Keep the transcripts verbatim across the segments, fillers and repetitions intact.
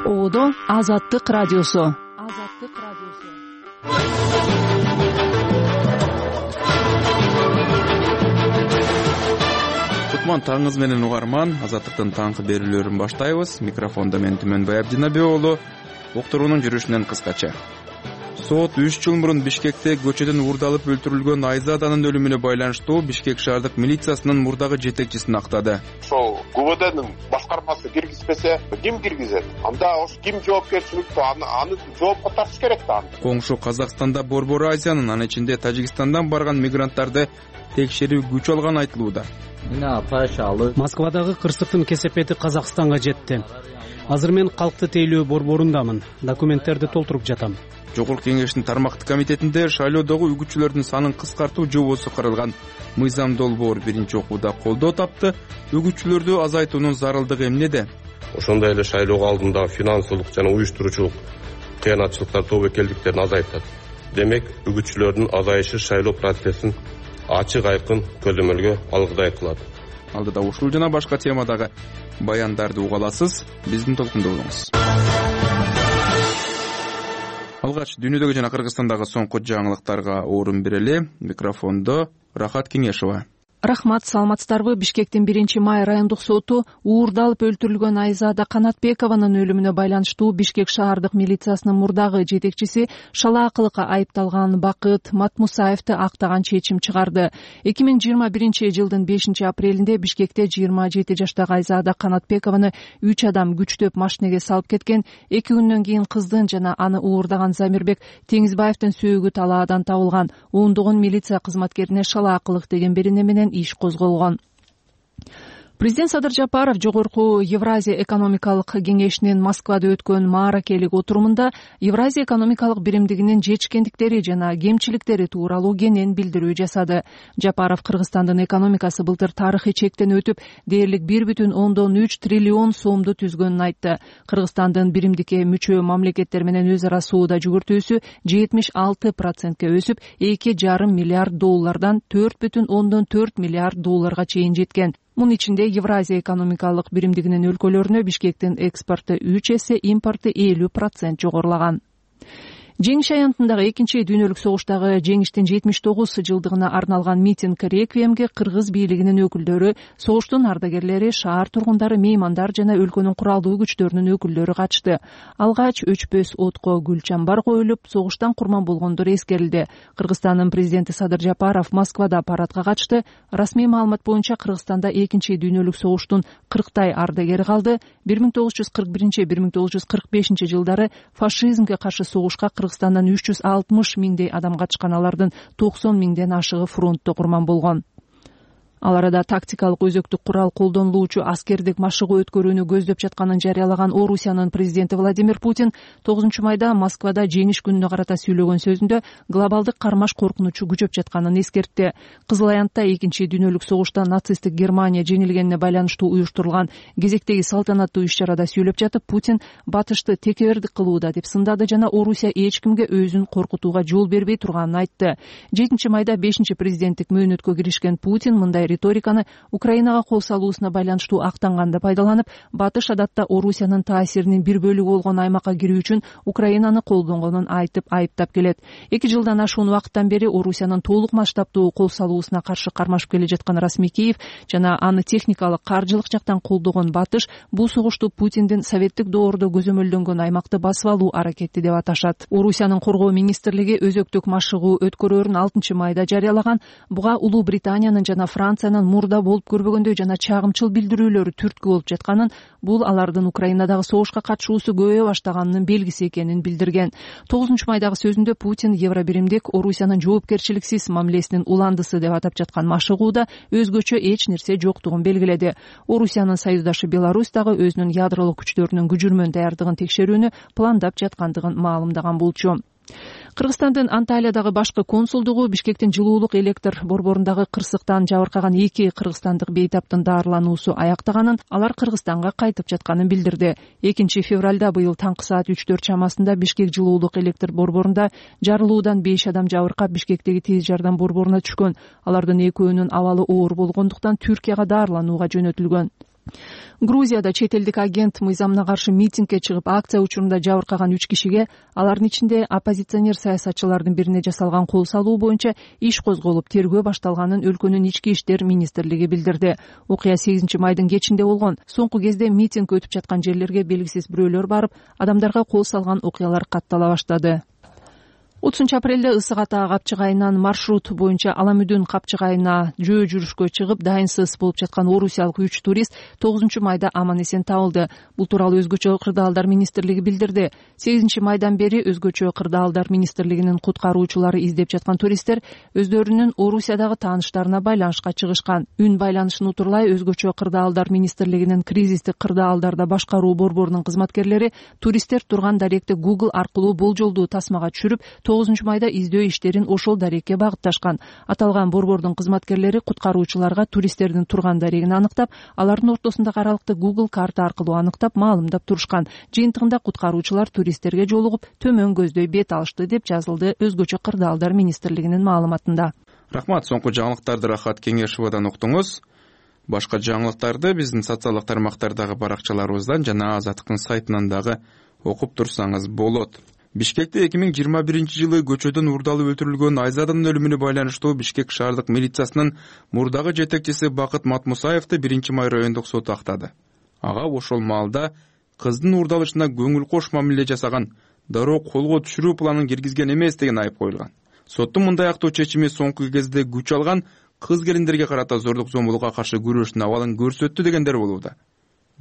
Оодо Азаттык радиосу. Азаттык радиосу. Кутман таңыңыз менен угарман. Азаттыктын таңкы берүүлөрүн баштайбыз. Микрофондо мен Түмөнбай Абдинабек уулу. Уктуруунун жүрүшүнөн кыскача. Сот үч жыл мурун Бишкекте көчөдөн уурдалып өлтүрүлгөн Айзаданын өлүмүнө байланыштуу Бишкек шаардык милициясынын мурдагы жетекчисин актады. Ошол ГУВДнын башкармасы киргизбесе, ким киргизет? Анда ошо ким жоопкерчиликтүү? Аны аны жоопко тартыш керек да. Коңшу Казакстанда Борбор Азиянын, анын ичинде Тажикстандан барган мигранттарды текшерүү күч алган айтылууда. Москвадагы кырсыктын кесепети Казакстанга жетти. Азыр мен калкты тейлөө борборундамын. Документтерди толтуруп жатам. Жогорку кеңештин тармактык комитетинде шайлоодогу үгүтчүлөрдүн санын кыскартуу жобосу каралган. Мыйзам долбоор биринчи окууда колдоо тапты. Үгүтчүлөрдү азайтуунун зарылдыгы эмнеде? Ошондой эле шайлоого алдындагы финансылык жана уюштуруучулук кыянатчылыктар, тобокелдиктерин азайтат. Демек, үгүтчүлөрдүн азайышы шайлоо процессин ачык айкын көзөмөлгө алгыдай кылат. Алдыда ушул жана башка темадагы баяндарды уга аласыз. Биздин толкунда болуңуз. Алгач дүйнөдөгү жана Кыргызстандагы соңку жаңылыктарга орун берели. Микрофондо Рахат Кеңешова. Рахмат, саламатсыздарбы? Бишкектин биринчи май райондук соту уурдалып өлтүрүлгөн Айзада Канатбекованын өлүмүнө байланыштуу Бишкек шаардык милициясынын мурдагы жетекчиси шалаакылыкка айыпталган Бакыт Матмусаевди актаган чечим чыгарды. эки миң жыйырма биринчи жылдын бешинчи апрелинде Бишкекте жыйырма жети жаштагы Айзада Канатбекованы үч адам күчтөп машинеге салып кеткен. Эки күндөн кийин кыздын жана аны уурдаган Замирбек Теңизбаевдин сөөгү талаадан табылган. Ондогон милиция кызматкерине шалаакылык деген берене менен иш козголгон. Президент Садыр Жапаров жогорку Евразия экономикалык кеңешинин Москвада өткөн мааракелик отурумунда Евразия экономикалык биримдигинин жетишкендиктери жана кемчиликтери тууралуу кенен билдирүү жасады. Жапаров Кыргызстандын экономикасы былтыр тарыхый чектен өтүп, дээрлик бир бүтүн ондон үч триллион сомду түзгөнүн айтты. Кыргызстандын биримдикке мүчө мамлекеттер менен өз ара соода жүгүртүүсү жетимиш алты процентке өсүп, эки жарым миллиард доллардан төрт бүтүн ондон төрт миллиард долларга чейин жеткен. Мунун ичинде Евразия экономикалык биримдигинин өлкөлөрүнө Бишкектин экспорту үч эсе, импорты элүү процент жогорулаган. Жеңиш аянтындагы экинчи дүйнөлүк согуштагы жеңиштин жетимиш тогуз жылдыгына арналган митинг реквиемге кыргыз бийлигинин өкүлдөрү, согуштун ардагерлери, шаар тургундары, меймандар жана өлкөнүн куралдуу күчтөрүнүн өкүлдөрү катышты. Алгач өчпөс отко гүл чамбар коюлуп, согуштан курман болгондор эскерилди. Кыргызстандын президенти Садыр Жапаров Москвада парадка катышты. Расмий маалымат боюнча Кыргызстанда экинчи дүйнөлүк согуштун кырктай ардагери калды. бир миң тогуз жүз кырк биринчи — бир миң тогуз жүз кырк бешинчи жылдары фашизмге каршы согушка Кыргызстандан үч жүз алтымыш миңдей адам катышкан, алардын токсон миңден ашыгы фронтто курман болгон. Ал арада тактикалык өзөктүк курал колдонулуучу аскердик машыгуу өткөрүүнү көздөп жатканын жарыялаган Орусиянын президенти Владимир Путин тогузунчу майда Москвада жеңиш күнүнө карата сүйлөгөн сөзүндө глобалдык кармаш коркунучу күчөп жатканын эскертти. Кызыл аянтта экинчи дүйнөлүк согушта нацисттик Германия жеңилгенине байланыштуу уюштурулган кезектеги салтанаттуу иш-чарада сүйлөп жатып, Путин батышты текебердик кылууда деп сындады жана Орусия эч кимге өзүн коркутууга жол бербей турганын айтты. жетинчи майда бешинчи президенттик мөөнөткө киришкен Путин мындай риториканы Украинага кол салуусуна байланыштуу актанганды пайдаланып, батыш адатта Орусиянын таасиринин бир бөлүгү болгон аймакка кирүү үчүн Украинаны колдонгонун айтып айыптап келет. Эки жылдан ашуун убакыттан бери Орусиянын толук масштабтуу кол салуусуна каршы кармашып келе жаткан расмий Киев жана аны техникалык, каржылык жактан колдогон батыш бул согушту Путиндин советтик доордо көзөмөлдөнгөн аймакты басып алуу аракети деп аташат. Орусиянын коргоо министрлиги өзөктүк машыгуу өткөрөөрүн алтынчы майда жарыялаган. Буга Улуу Британиянын жана Франциянын мурда болуп көрбөгөндөй жана чагымчыл билдирүүлөрү түрткү болуп жатканын, бул алардын Украинадагы согушка катышуусу көбөйө баштаганынын белгиси экенин билдирген. тогузунчу майдагы сөзүндө Путин Евробиримдик Орусиянын жоопкерчиликсиз мамилесинин уландысы деп атап жаткан машыгууда өзгөчө эч нерсе жоктугун белгиледи. Орусиянын союздашы Беларусь дагы өзүнүн ядролук күчтөрүнүн күжүрмөн даярдыгын текшерүүнү пландап жаткандыгын маалымдаган болчу. Кыргызстандын Анталиядагы башкы консулдугу Бишкектин жылуулук электр борборундагы кырсыктан жабыркаган эки кыргызстандык бейтаптын даарылануусу аяктаганын, алар Кыргызстанга кайтып жатканын билдирди. экинчи февралда быйыл таңкы саат үч төрт чамасында Бишкек жылуулук электр борборунда жарылуудан беш адам жабыркап Бишкектеги тез жардам борборуна түшкөн. Алардын экөөнүн абалы оор болгондуктан Түркияга даарыланууга жөнөтүлгөн. Грузияда чет элдик агент мыйзамына каршы митингге чыгып акция учурунда жабыркаган үч кишиге, алардын ичинде оппозиционер саясатчылардын бирине жасалган кол салуу боюнча иш козголуп, тергөө башталганын өлкөнүн ички иштер министрлиги билдирди. Окуя сегизинчи майдын кечинде болгон. Соңку кезде митинг өтүп жаткан жерлерге белгисиз бирөөлөр барып, адамдарга кол салган окуялар каттала баштады. отузунчу апрелде ысык ата капчыгайынан маршрут боюнча Аламүдүн капчыгайына жөө жүрүшкө чыгып, дайынсыз болуп жаткан орусиялык үч турист тогузунчу майда аман эсен табылды. Бул тууралуу өзгөчө кырдаалдар министрлиги билдирди. сегизинчи майдан бери өзгөчө кырдаалдар министрлигинин куткаруучулары издеп жаткан туристтер өздөрүнүн Орусиядагы тааныштарына байланышка чыгышкан. Үн байланышын утурлай өзгөчө кырдаалдар министрлигинин кризистик кырдаалдарда башкаруу борборунун кызматкерлери туристтер турган даректи Google аркылуу болжолдуу тасмага түшүрүп, тогузунчу майда издөө иштерин ошол дарекке багытташкан. Аталган борбордун кызматкерлери куткаруучуларга туристтердин турган дарегин аныктап, алардын ортосундагы аралыкты Google карта аркылуу аныктап, маалымдап турушкан. Жыйынтыгында куткаруучулар туристтерге жолугуп, төмөн көздөй бет алышты деп жазылды өзгөчө кырдаалдар министрлигинин маалыматында. Рахмат, соңку жаңылыктарды Рахат Кеңешовадан уктуңуз. Башка жаңылыктарды биздин социалдык тармактардагы баракчаларыбыздан жана Азаттыктын сайтынан дагы окуп турсаңыз болот. Бишкекте эки миң жыйырма биринчи жылы көчөдөн уурдалып өлтүрүлгөн Айзаданын өлүмүнө байланыштуу Бишкек шаардык милициясынын мурдагы жетекчиси Бакыт Матмусаевди биринчи май райондук соту актады. Ага ошол маалда кыздын уурдалышына көңүл кош мамиле жасаган, дароо колго түшүрүү планын киргизген эмес деген айып коюлган. Соттун мындай актоо чечими соңку кезде күч алган, кыз келиндерге карата зордук зомбулукка каршы күрөштүн абалын көрсөттү дегендер болууда.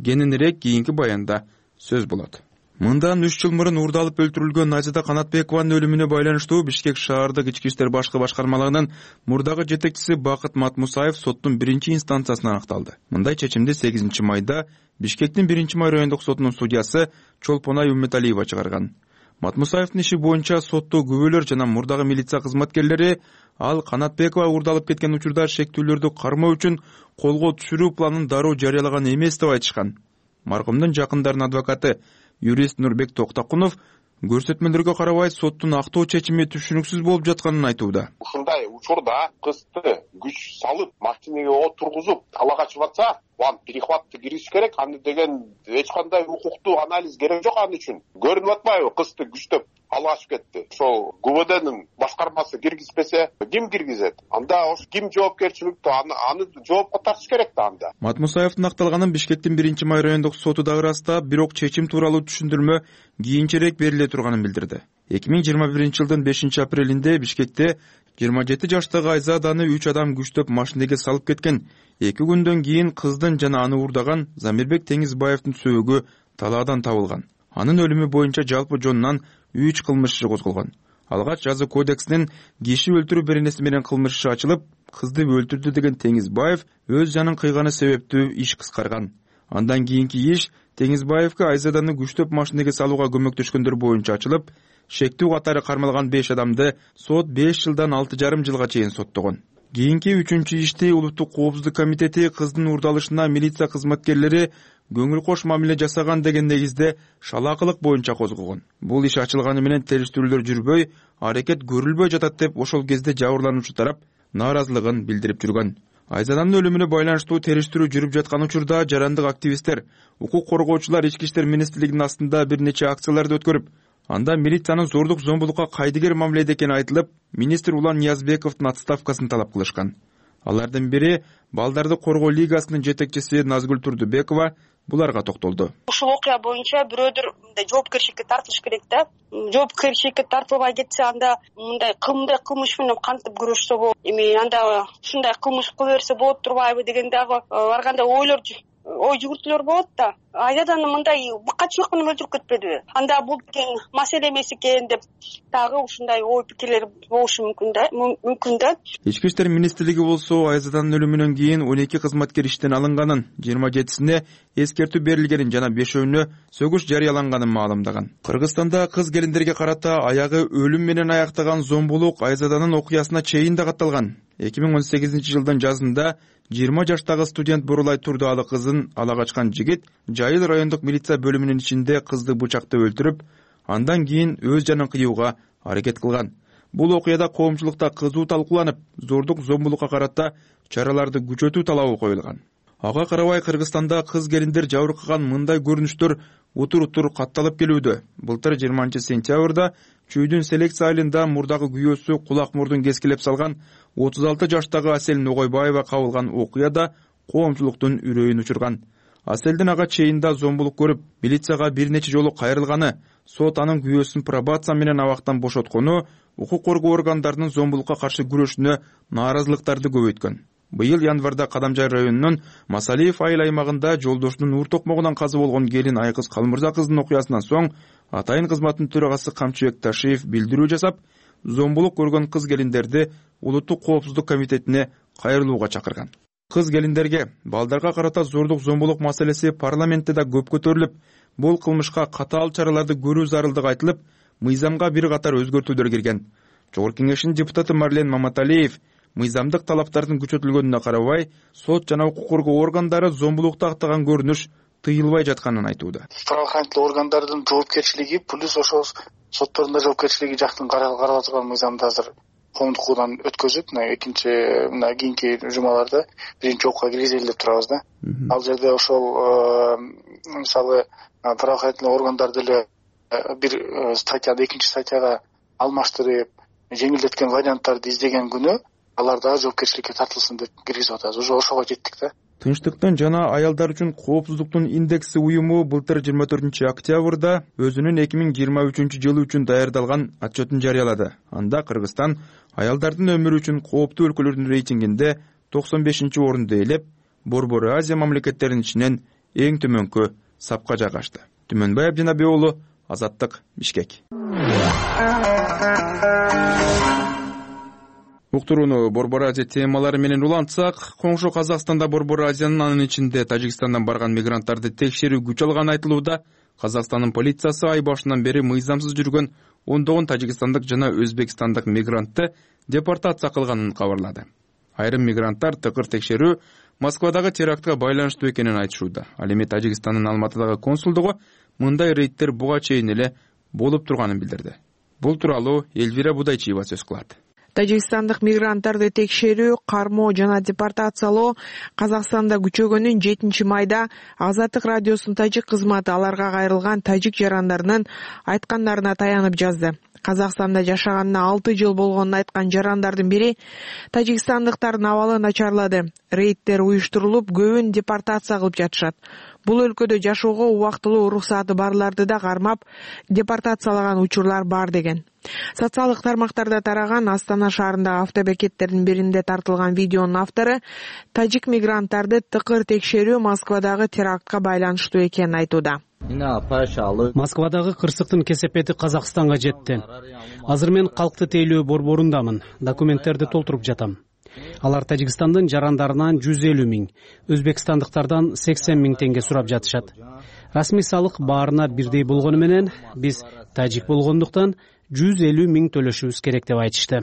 Кененирээк кийинки баянда сөз болот. Мындан үч жыл мурун уурдалып өлтүрүлгөн Айзада Канатбекованын өлүмүнө байланыштуу Бишкек шаардык ички иштер башкы башкармалыгынын мурдагы жетекчиси Бакыт Матмусаев соттун биринчи инстанциясына аныкталды. Мындай чечимди сегизинчи майда Бишкектин биринчи май райондук сотунун судьясы Чолпонай Үммөталиева чыгарган. Матмусаевдин иши боюнча сотто күбөлөр жана мурдагы милиция кызматкерлери ал Канатбекова уурдалып кеткен учурда шектүүлөрдү кармоо үчүн колго түшүрүү планын дароо жарыялаган эмес деп айтышкан. Маркумдун жакындарынын адвокаты юрист Нурбек Токтакунов көрсөтмөлөргө карабай соттун актоо чечими түшүнүксүз болуп жатканын айтууда. Ушундай учурда кызды күч салып, машинеге отургузуп, ала качып атса, аны перехватты кириш керек. Аны деген эч кандай укуктуу анализ керек жок аны үчүн. Көрүнүп атпайбы, кызды күчтөп ала качып кетти. Ошол ГУВДнын башкармасы киргизбесе, ким киргизет? Анда ош ким жоопкерчиликтүү? Аны аны жоопко тартыш керек да анда. Матмусаевдин акталганын Бишкектин биринчи май райондук соту дагы ырастап, бирок чечим тууралуу түшүндүрмө кийинчерээк бериле турганын билдирди. эки миң жыйырма биринчи жылдын бешинчи апрелинде Бишкекте жыйырма жети жаштагы Айзаданы үч адам күчтөп машинеге салып кеткен. эки күндөн кийин кыздын жана аны уурдаган Замирбек Теңизбаевдин сөөгү талаадан табылган. Анын өлүмү боюнча жалпы жонунан үч кылмыш иши козголгон. Алгач жаза кодексинин киши өлтүрүү беренеси менен кылмыш иши ачылып, кызды өлтүрдү деген Теңизбаев өз жанын кыйганы себептүү иш кыскарган. Андан кийинки иш Теңизбаевге Айзаданы күчтөп машинеге салууга көмөктөшкөндөр боюнча ачылып, шектүү катары кармалган беш адамды сот беш жылдан алты жарым жылга чейин соттогон. Кийинки үчүнчү ишти Улуттук коопсуздук комитети кыздын уурдалышына милиция кызматкерлери көңүл кош мамиле жасаган деген негизде шалаакылык боюнча козгогон. Бул иш ачылганы менен териштирүүлөр жүрбөй, аракет көрүлбөй жатат деп ошол кезде жабырлануучу тарап нааразылыгын билдирип жүргөн. Айзаданын өлүмүнө байланыштуу териштирүү жүрүп жаткан учурда жарандык активисттер, укук коргоочулар ички иштер министрлигинин астында бир нече акцияларды өткөрүп, анда милициянын зордук зомбулукка кайдыгер мамиледе экени айтылып, министр Улан Ниязбековдун отставкасын талап кылышкан. Алардын бири Балдарды коргоо лигасынын жетекчиси Назгүл Турдубекова буларга токтолду. Ушул окуя боюнча бирөөдөр мындай жоопкерчиликке тартылыш керек да. Жоопкерчиликке тартылбай кетсе, анда мындай кымдай кылмыш менен кантип күрөшсө болот? Эми анда ушундай кылмыш кыла берсе болот турбайбы деген дагы ар кандай ойлор ой жүгүртүүлөр болот да. Айзаданы мындай быкачылык менен өлтүрүп кетпедиби? Анда бул деген маселе эмес экен деп дагы ушундай ой пикирлер болушу мүмкүн да, мүмкүн да. Ички иштер министрлиги болсо Айзаданын өлүмүнөн кийин он эки кызматкер иштен алынганын, жыйырма жетисине эскертүү берилгенин жана бешөөнүнө сөгүш жарыяланганын маалымдаган. Кыргызстанда кыз келиндерге карата аягы өлүм менен аяктаган зомбулук Айзаданын окуясына чейин да катталган. эки миң он сегизинчи жылдын жазында жыйырма жаштагы студент Бурулай Турдуалы кызын ала качкан жигит Жайыл райондук милиция бөлүмүнүн ичинде кызды бычактап өлтүрүп, андан кийин өз жанын кыюуга аракет кылган. Бул окуяда коомчулукта кызуу талкууланып, зордук зомбулукка карата чараларды күчөтүү талабы коюлган. Ага карабай Кыргызстанда кыз келиндер жабыркаган мындай көрүнүштөр утур утур катталып келүүдө. Былтыр жыйырманчы сентябрда Чүйдүн селекция айылында мурдагы күйөөсү кулак мурдун кескилеп салган отуз алты жаштагы Асель Ногойбаева кабылган окуяда коомчулуктун үрөйүн учурган. Аселдин ага чейинда зомбулук көрүп, милицияга бир нече жолу кайрылганы, сот анын күйөөсүн пробация менен абактан бошоткону, укук коргоо органдарынын зомбулукка каршы күрөшүнө нааразылыктарды көбөйткөн. Быйыл январда Кадамжай районунун Масалиев айыл аймагында жолдошунун уур токмогунан каза болгон келин Айкыз Калмырза кыздын окуясынан соң атайын кызматтын төрагасы Камчыбек Ташиев билдирүү жасап, зомбулук көргөн кыз келиндерди Улуттук коопсуздук комитетине кайрылууга чакырган. Кыз келиндерге балдарга карата зордук зомбулук маселеси парламентте да көп көтөрүлүп, бул кылмышка катаал чараларды көрүү зарылдыгы айтылып, мыйзамга бир катар өзгөртүүлөр кирген. Жогорку кеңештин депутаты Марлен Маматалиев мыйзамдык талаптардын күчөтүлгөнүнө карабай, сот жана укук коргоо органдары зомбулукту актаган көрүнүш тыйылбай жатканын айтууда. Правоохранительный органдардын жоопкерчилиги плюс ошол соттордун жоопкерчилиги жактын каралып жаткан мыйзамды азыр коомдук укуудан өткөзүп, мына экинчи мына кийинки жумаларда биринчи окууга киргизели деп турабыз да. Ал жерде ошол мисалы правоохранительный органдар деле бир статьяды экинчи статьяга алмаштырып, жеңилдеткен варианттарды издеген күнү алар дагы жоопкерчиликке тартылсын деп киргизип атабыз. Уже ошого жеттик да. Тынчтыктын жана аялдар үчүн коопсуздуктун индекси уюму былтыр жыйырма төртүнчү октябрда өзүнүн эки миң жыйырма үчүнчү жылы үчүн даярдалган отчетун жарыялады. Анда Кыргызстан аялдардын өмүрү үчүн кооптуу өлкөлөрдүн рейтингинде токсон бешинчи орунду ээлеп, Борбор Азия мамлекеттеринин ичинен эң төмөнкү сапка жайгашты. Түмөнбай Абдинабек уулу, Азаттык, Бишкек. Уктурууну Борбор Азия темалары менен улантсак, коңшу Казакстанда Борбор Азиянын анын ичинде Тажикстандан барган мигранттарды текшерүү күч алганы айтылууда. Казакстандын полициясы ай башынан бери мыйзамсыз жүргөн ондогон тажикстандык жана өзбекстандык мигрантты депортация кылганын кабарлады. Айрым мигранттар тыкыр текшерүү Москвадагы терактка байланыштуу экенин айтышууда. Ал эми Тажикстандын Алматыдагы консулдугу мындай рейдтер буга чейин эле болуп турганын билдирди. Бул тууралуу Эльвира Будайчиева сөз кылат. Тажикстандык мигранттарды текшерүү, кармоо жана депортациялоо Казакстанда күчөгөнүн жетинчи майда Азаттык радиосунун тажик кызматы аларга кайрылган тажик жарандарынын айткандарына таянып жазды. Казакстанда жашаганына алты жыл болгонун айткан жарандардын бири тажикстандыктардын абалы начарлады. Рейдтер уюштурулуп, көбүн депортация кылып жатышат. Бул өлкөдө жашоого убактылуу уруксаты барларды да кармап, депортациялаган учурлар бар деген. Социалдык тармактарда тараган Астана шаарындагы автобекеттердин биринде тартылган видеонун автору тажик мигранттарды тыкыр текшерүү Москвадагы терактка байланыштуу экенин айтууда. Москвадагы кырсыктын кесепети Казакстанга жетти. Азыр мен калкты тейлөө борборундамын. Документтерди толтуруп жатам. Алар Тажикстандын жарандарынан жүз элүү миң, өзбекстандыктардан сексен миң теңге сурап жатышат. Расмий салык баарына бирдей болгону менен биз тажик болгондуктан жүз элүү миң төлөшүбүз керек деп айтышты.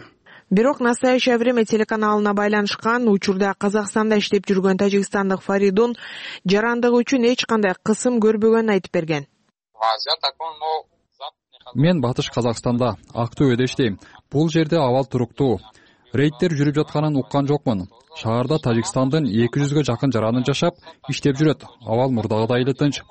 Бирок «Настоящее время» телеканалына байланышкан учурда Казакстанда иштеп жүргөн тажикстандык Фаридун жарандыгы үчүн эч кандай кысым көрбөгөнүн айтып берген. Мен Батыш Казакстанда Актөбөдө иштейм. Бул жерде абал туруктуу. Рейдтер жүрүп жатканын уккан жокмун. Шаарда Тажикстандын эки жүзгө жакын жараны жашап, иштеп жүрөт. Абал мурдагыдай эле тынч.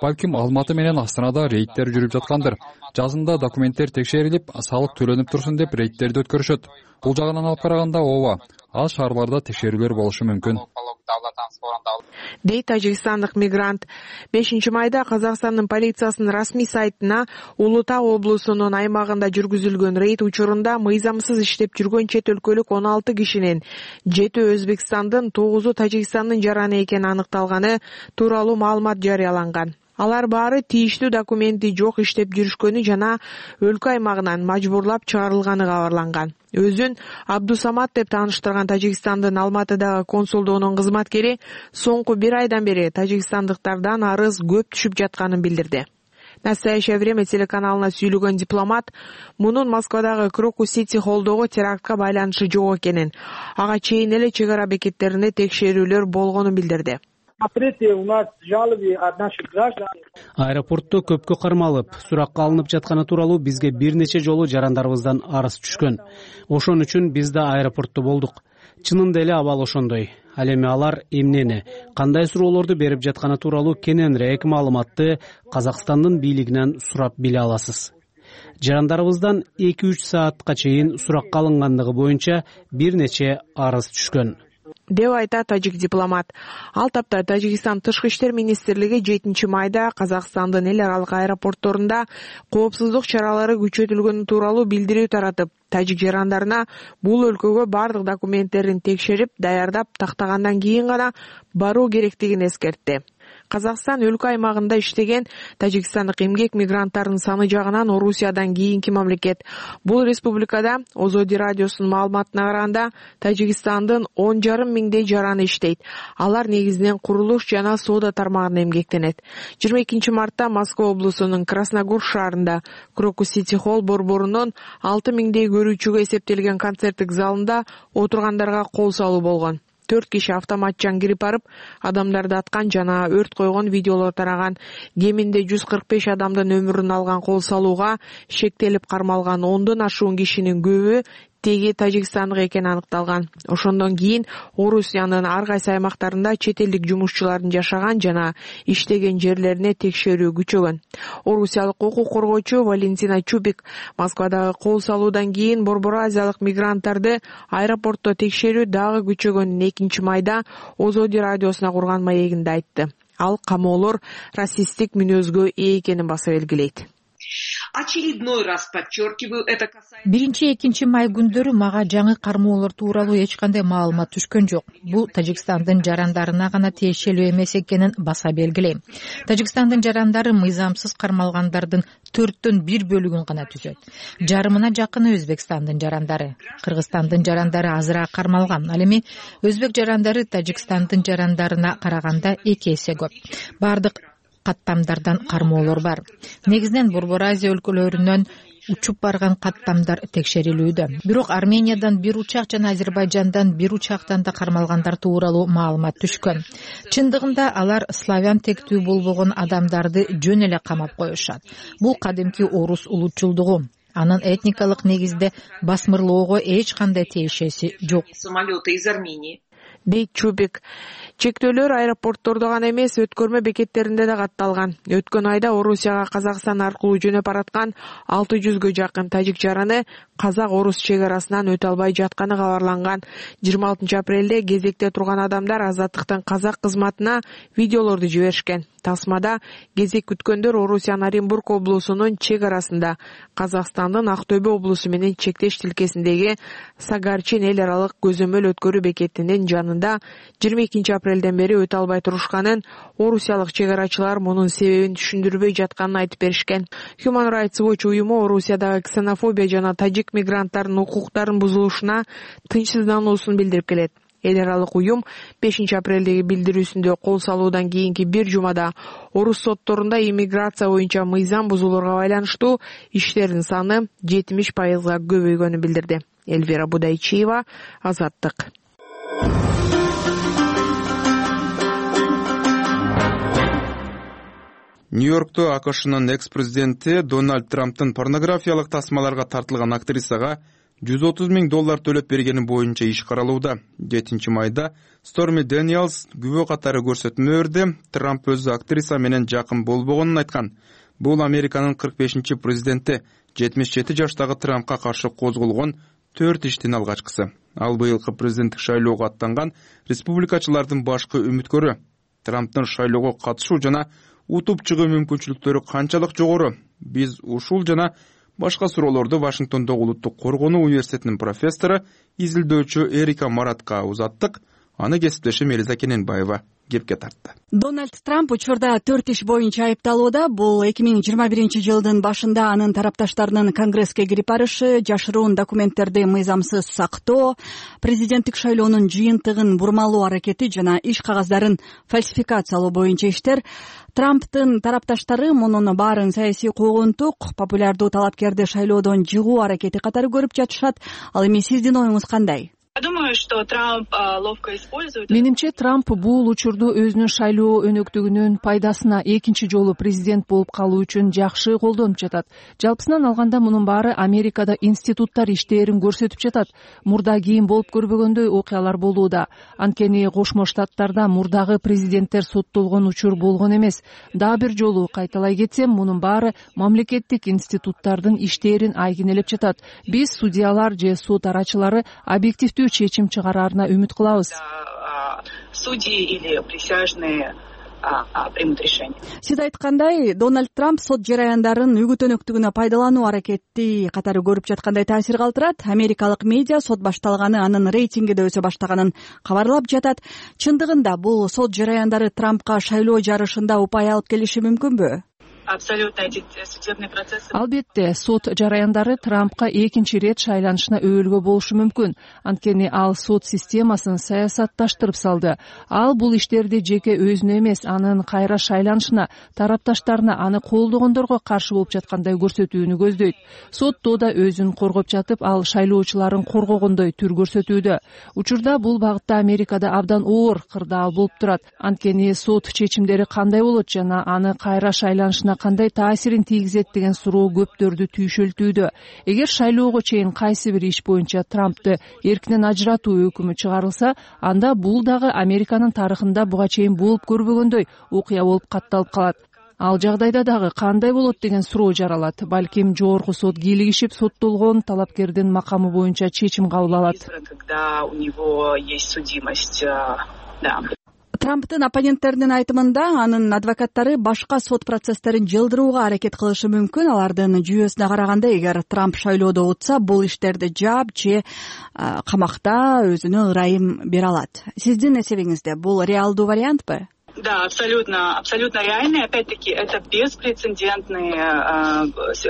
Балким Алматы менен Астанада рейдтер жүрүп жаткандыр. Жазында документтер текшерилип, салык төлөнүп турсун деп рейдтерди өткөрүшөт. Бул жагынан алып караганда ооба, ал шаарларда текшерүүлөр болушу мүмкүн. Дейт тажикстандык мигрант. бешинчи майда Казакстандын полициясынын расмий сайтына Улуу Таа облусунун аймагында жүргүзүлгөн рейд учурунда мыйзамсыз иштеп жүргөн чет өлкөлүк он алты кишинин жети Өзбекстандын, тогузу Тажикстандын жараны экени аныкталганы тууралуу маалымат жарыяланган. Алар баары тийиштүү документи жок иштеп жүрүшкөнү жана өлкө аймагынан мажбурлап чыгарылганы кабарланган. Өзүн Абдусамат деп тааныштырган Тажикстандын Алматыдагы консулдугунун кызматкери соңку бир айдан бери тажикстандыктардан арыз көп түшүп жатканын билдирди. «Настоящее время» телеканалына сүйлөгөн дипломат мунун Москвадагы Крокус-Сити холлдогу терактка байланышы жок экенин, ага чейин эле чек ара бекеттеринде текшерүүлөр болгонун билдирди. Аэропортто көпкө кармалып, суракка алынып жатканы тууралуу бизге бир нече жолу жарандарыбыздан арыз түшкөн. Ошон үчүн биз да аэропортто болдук. Чынында эле абал ошондой. Ал эми алар эмнени, кандай суроолорду берип жатканы тууралуу кененирээк маалыматты Казакстандын бийлигинен сурап биле аласыз. Жарандарыбыздан эки үч саатка чейин суракка алынгандыгы боюнча бир нече арыз түшкөн, деп айтат тажик дипломат. Ал тапта Тажикстан тышкы иштер министрлиги жетинчи майда Казакстандын эл аралык аэропортторунда коопсуздук чаралары күчөтүлгөнү тууралуу билдирүү таратып, тажик жарандарына бул өлкөгө бардык документтерин текшерип, даярдап тактагандан кийин гана баруу керектигин эскертти. Казакстан өлкө аймагында иштеген тажикстандык эмгек мигранттарынын саны жагынан Орусиядан кийинки мамлекет. Бул республикада Озоди радиосунун маалыматына караганда Тажикстандын он жарым миңдей жараны иштейт. Алар негизинен курулуш жана соода тармагында эмгектенет. жыйырма экинчи мартта Москва облусунун Красногор шаарында Крокус Сити Холл борборунун алты миңдей көрүүчүгө эсептелген концерттик залында отургандарга кол салуу болгон. Төрт киши автоматчан кирип барып, адамдарды аткан жана өрт койгон видеолор тараган. Кеминде жүз кырк беш адамдын өмүрүн алган кол салууга шектелип кармалган ондон ашуун кишинин көбү теги тажикстандык экени аныкталган. Ошондон кийин Орусиянын ар кайсы аймактарында чет элдик жумушчулардын жашаган жана иштеген жерлерине текшерүү күчөгөн. Орусиялык укук коргоочу Валентина Чубик Москвадагы кол салуудан кийин Борбор Азиялык мигранттарды аэропортто текшерүү дагы күчөгөнүн экинчи майда Озоди радиосуна курган маегинде айтты. Ал камоолор расисттик мүнөзгө ээ экенин баса белгилейт. Очередной раз подчеркиваю, это касается... Биринчи экинчи май күндөрү мага жаңы кармоолор тууралуу эч кандай маалымат түшкөн жок. Бул Тажикстандын жарандарына гана тиешелүү эмес экенин баса белгилейм. Тажикстандын жарандары мыйзамсыз кармалгандардын төрттөн бир бөлүгүн гана түзөт. Жарымына жакыны Өзбекстандын жарандары. Кыргызстандын жарандары азыраак кармалган. Ал эми өзбек жарандары Тажикстандын жарандарына караганда эки эсе көп. Бардык каттамдардан кармоолор бар. Негизинен Борбор Азия өлкөлөрүнөн учуп барган каттамдар текшерилүүдө. Бирок Армениядан бир учак жана Азербайжандан бир учактан да кармалгандар тууралуу маалымат түшкөн. Чындыгында алар славян тектүү болбогон адамдарды жөн эле камап коюшат. Бул кадимки орус улутчулдугу. Анын этникалык негизде басмырлоого эч кандай тиешеси жок. Самолеты из Армении. Дейт Чубик. Чектөөлөр аэропорттордо гана эмес, өткөрмө бекеттеринде да катталган. Өткөн айда Орусияга Казакстан аркылуу жөнөп бараткан алты жүзгө жакын тажик жараны казак-орус чек арасынан өтө албай жатканы кабарланган. жыйырма алтынчы апрелде кезекте турган адамдар Азаттыктын казак кызматына видеолорду жиберишкен. Тасмада кезек күткөндөр Орусиянын Оренбург облусунун чек арасында Казакстандын Актөбө облусу менен чектеш тилкесиндеги Сагарчин эл аралык көзөмөл өткөрүү бекетинин жанында жыйырма экинчи апрелден бери өтө албай турушканын, орусиялык чек арачылар мунун себебин түшүндүрбөй жатканын айтып беришкен. Human Rights Watch уюму Орусиядагы ксенофобия жана тажик мигранттардын укуктарынын бузулушуна тынчсыздануусун билдирип келет. Эл аралык уюм бешинчи апрелдеги билдирүүсүндө кол салуудан кийинки бир жумада орус сотторунда иммиграция боюнча мыйзам бузууларга байланыштуу иштердин саны жетимиш пайызга көбөйгөнүн билдирди. Эльвира Будайчиева, Азаттык. Нью-Йоркто АКШнын экс-президенти Дональд Трамптын порнографиялык тасмаларга тартылган актрисага жүз отуз миң доллар төлөп бергени боюнча иш каралууда. жетинчи майда Сторми Дэниелс күбө катары көрсөтмө берди. Трамп өзү актриса менен жакын болбогонун айткан. Бул Американын кырк бешинчи президенти жетимиш жети жаштагы Трампка каршы козголгон төрт иштин алгачкысы. Ал быйылкы президенттик шайлоого аттанган республикачылардын башкы үмүткөрү. Трамптын шайлоого катышуу жана утуп чыгуу мүмкүнчүлүктөрү канчалык жогору? Биз ушул жана башка суроолорду Вашингтондогу Улуттук коргонуу университетинин профессору, изилдөөчү Эрика Маратка узаттык. Аны кесиптешим Элиза Кененбаева кепке тартты. Дональд Трамп учурда төрт иш боюнча айыпталууда. Бул эки миң жыйырма биринчи жылдын башында анын тарапташтарынын Конгресске кирип барышы, жашыруун документтерди мыйзамсыз сактоо, президенттик шайлоонун жыйынтыгын бурмалоо аракети жана иш кагаздарын фальсификациялоо боюнча иштер. Трамптын тарапташтары мунун баарын саясий куугунтук, популярдуу талапкерди шайлоодон жыгуу аракети катары көрүп жатышат. Ал эми сиздин оюңуз кандай? менимче Трамп бул учурду өзүнүн шайлоо өнөктүгүнүн пайдасына экинчи жолу президент болуп калуу үчүн жакшы колдонуп жатат. Жалпысынан алганда мунун баары Америкада институттар иштерин көрсөтүп жатат. Мурда кийин болуп көрбөгөндөй окуялар болууда. Анткени Кошмо Штаттарда мурдагы президенттер соттолгон учур болгон эмес. Дагы бир жолу кайталай кетсем, мунун баары мамлекеттик институттардын иштерин айгинелеп жатат. Биз судьялар же сот арачылары объективдүү чечим чыгараарына үмүт кылабыз. Судьи или присяжные примут решение. Сиз айткандай, Дональд Трамп сот жараяндарын үгүт өнөктүгүнө пайдалануу аракети катары көрүп жаткандай таасир калтырат. Америкалык медиа сот башталганы, анын рейтинги да өсө баштаганын кабарлап жатат. Чындыгында бул сот жараяндары Трампка шайлоо жарышында упай алып келиши мүмкүнбү? Абсолютно эти судебные процессы. Албетте, сот жараяндары Трампка экинчи ирет шайланышына өбөлгө болушу мүмкүн. Анткени ал сот системасын саясатташтырып салды. Ал бул иштерди жеке өзүнө эмес, анын кайра шайланышына, тарапташтарына, аны колдогондорго каршы болуп жаткандай көрсөтүүнү көздөйт. Сотто да өзүн коргоп жатып, ал шайлоочуларын коргогондой түр көрсөтүүдө. Учурда бул багытта Америкада абдан оор кырдаал болуп турат. Анткени сот чечимдери кандай болот жана аны кайра шайланышына кандай таасирин тийгизет деген суроо көптөрдү түйшөлтүүдө. Эгер шайлоого чейин кайсы бир иш боюнча Трампты эркинен ажыратуу өкүмү чыгарылса, анда бул дагы Американын тарыхында буга чейин болуп көрбөгөндөй окуя болуп катталып калат. Ал жагдайда дагы кандай болот деген суроо жаралат. Балким жогорку сот кийлигишип, соттолгон талапкердин макамы боюнча чечим кабыл алат. Когда у него есть судимость, да. Трамптын оппоненттеринин айтымында, анын адвокаттары башка сот процесстерин жылдырууга аракет кылышы мүмкүн. Алардын жүйөсүнө караганда, эгер Трамп шайлоодо утса, бул иштерди жаап же камакта өзүнө ырайым бере алат. Сиздин эсебиңизде бул реалдуу вариантпы? Да, абсолютно, абсолютно реальный. Опять-таки, это беспрецедентная,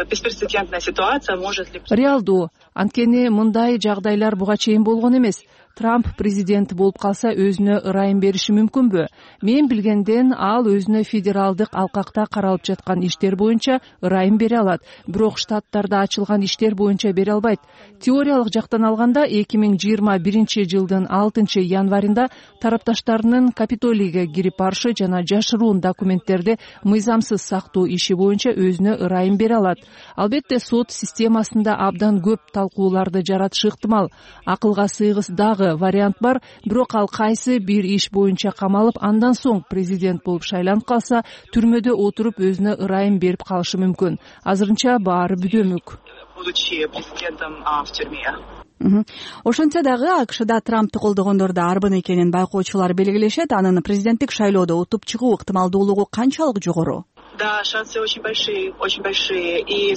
беспрецедентная ситуация. Может ли... Реалдуу. Анткени мындай жагдайлар буга чейин болгон эмес. Трамп президент болуп калса, өзүнө ырайым бериши мүмкүнбү? Мен билгенден, ал өзүнө федералдык алкакта каралып жаткан иштер боюнча ырайым бере алат. Бирок штаттарда ачылган иштер боюнча бере албайт. Теориялык жактан алганда, эки миң жыйырма биринчи жылдын алтынчы январында тарапташтарынын Капитолийге кирип барышы жана жашыруун документтерди мыйзамсыз сактоо иши боюнча өзүнө ырайым бере алат. Албетте, сот системасында абдан көп талкууларды жаратышы ыктымал. Акылга сыйгыс дагы вариант бар, бирок ал кайсы бир иш боюнча камалып, андан соң президент болуп шайланып калса, түрмөдө отуруп өзүнө ырайым берип калышы мүмкүн. Азырынча баары бүдөмүк. Будучи президентом в тюрьме. Ошентсе дагы АКШда Трампты колдогондор да арбын экенин байкоочулар белгилешет. Анын президенттик шайлоодо утуп чыгуу ыктымалдуулугу канчалык жогору? Да, шансы очень большие, очень большие. И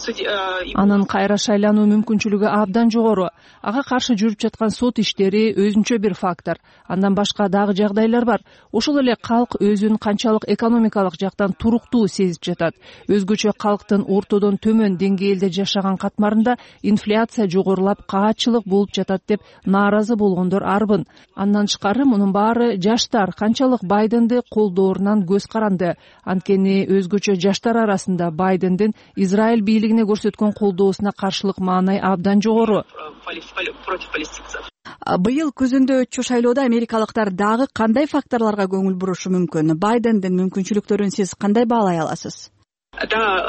анын кайра шайлануу мүмкүнчүлүгү абдан жогору. Ага каршы жүрүп жаткан сот иштери өзүнчө бир фактор. Андан башка дагы жагдайлар бар. Ошол эле калк өзүн канчалык экономикалык жактан туруктуу сезип жатат. Өзгөчө калктын ортодон төмөн деңгээлде жашаган катмарында инфляция жогорулап, каатчылык болуп жатат деп нааразы болгондор арбын. Андан тышкары мунун баары жаштар канчалык Байденди колдоорунан көз каранды. Анткени өзгөчө жаштар арасында Байдендин Израиль бийлигине көрсөткөн колдоосуна каршылык маанай абдан жогору. Быйыл күзүндө өтчү шайлоодо америкалыктар дагы кандай факторлорго көңүл бурушу мүмкүн? Байдендин мүмкүнчүлүктөрүн сиз кандай баалай аласыз? Да,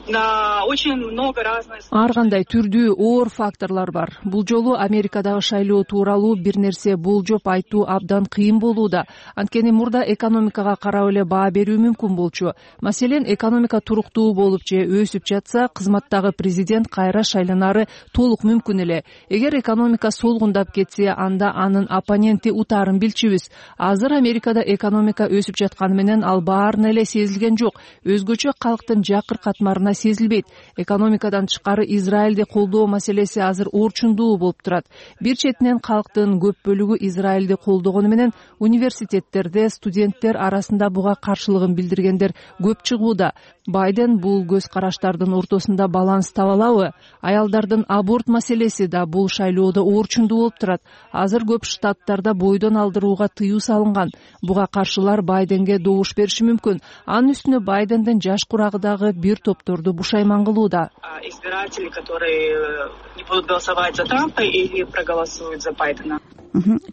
на очень много разных. Ар кандай түрдүү оор факторлор бар. Бул жолу Америкадагы шайлоо тууралуу бир нерсе болжоп айтуу абдан кыйын болууда. Анткени мурда экономикага карап эле баа берүү мүмкүн болчу. Маселен, экономика туруктуу болуп же өсүп жатса, кызматтагы президент кайра шайланары толук мүмкүн эле. Эгер экономика солгундап кетсе, анда анын оппоненти утаарын билчүбүз. Азыр Америкада экономика өсүп жатканы менен ал баарына эле сезилген жок. Өзгөчө калк жакыр катмарына сезилбейт. Экономикадан тышкары Израилди колдоо маселеси азыр орчундуу болуп турат. Бир четинен калктын көп бөлүгү Израилди колдогону менен университеттерде студенттер арасында буга каршылыгын билдиргендер көп чыгууда. Байден бул көз караштардын ортосунда баланс таба алабы? Аялдардын аборт маселеси да бул шайлоодо орчундуу болуп турат. Азыр көп штаттарда бойдон алдырууга тыюу салынган. Буга каршылар Байденге добуш бериши мүмкүн. Анын үстүнө Байдендин жаш курагы аймагындагы дагы бир топторду бушайман кылууда. Избиратели, которые не будут голосовать за Трампа или проголосуют за Байдена.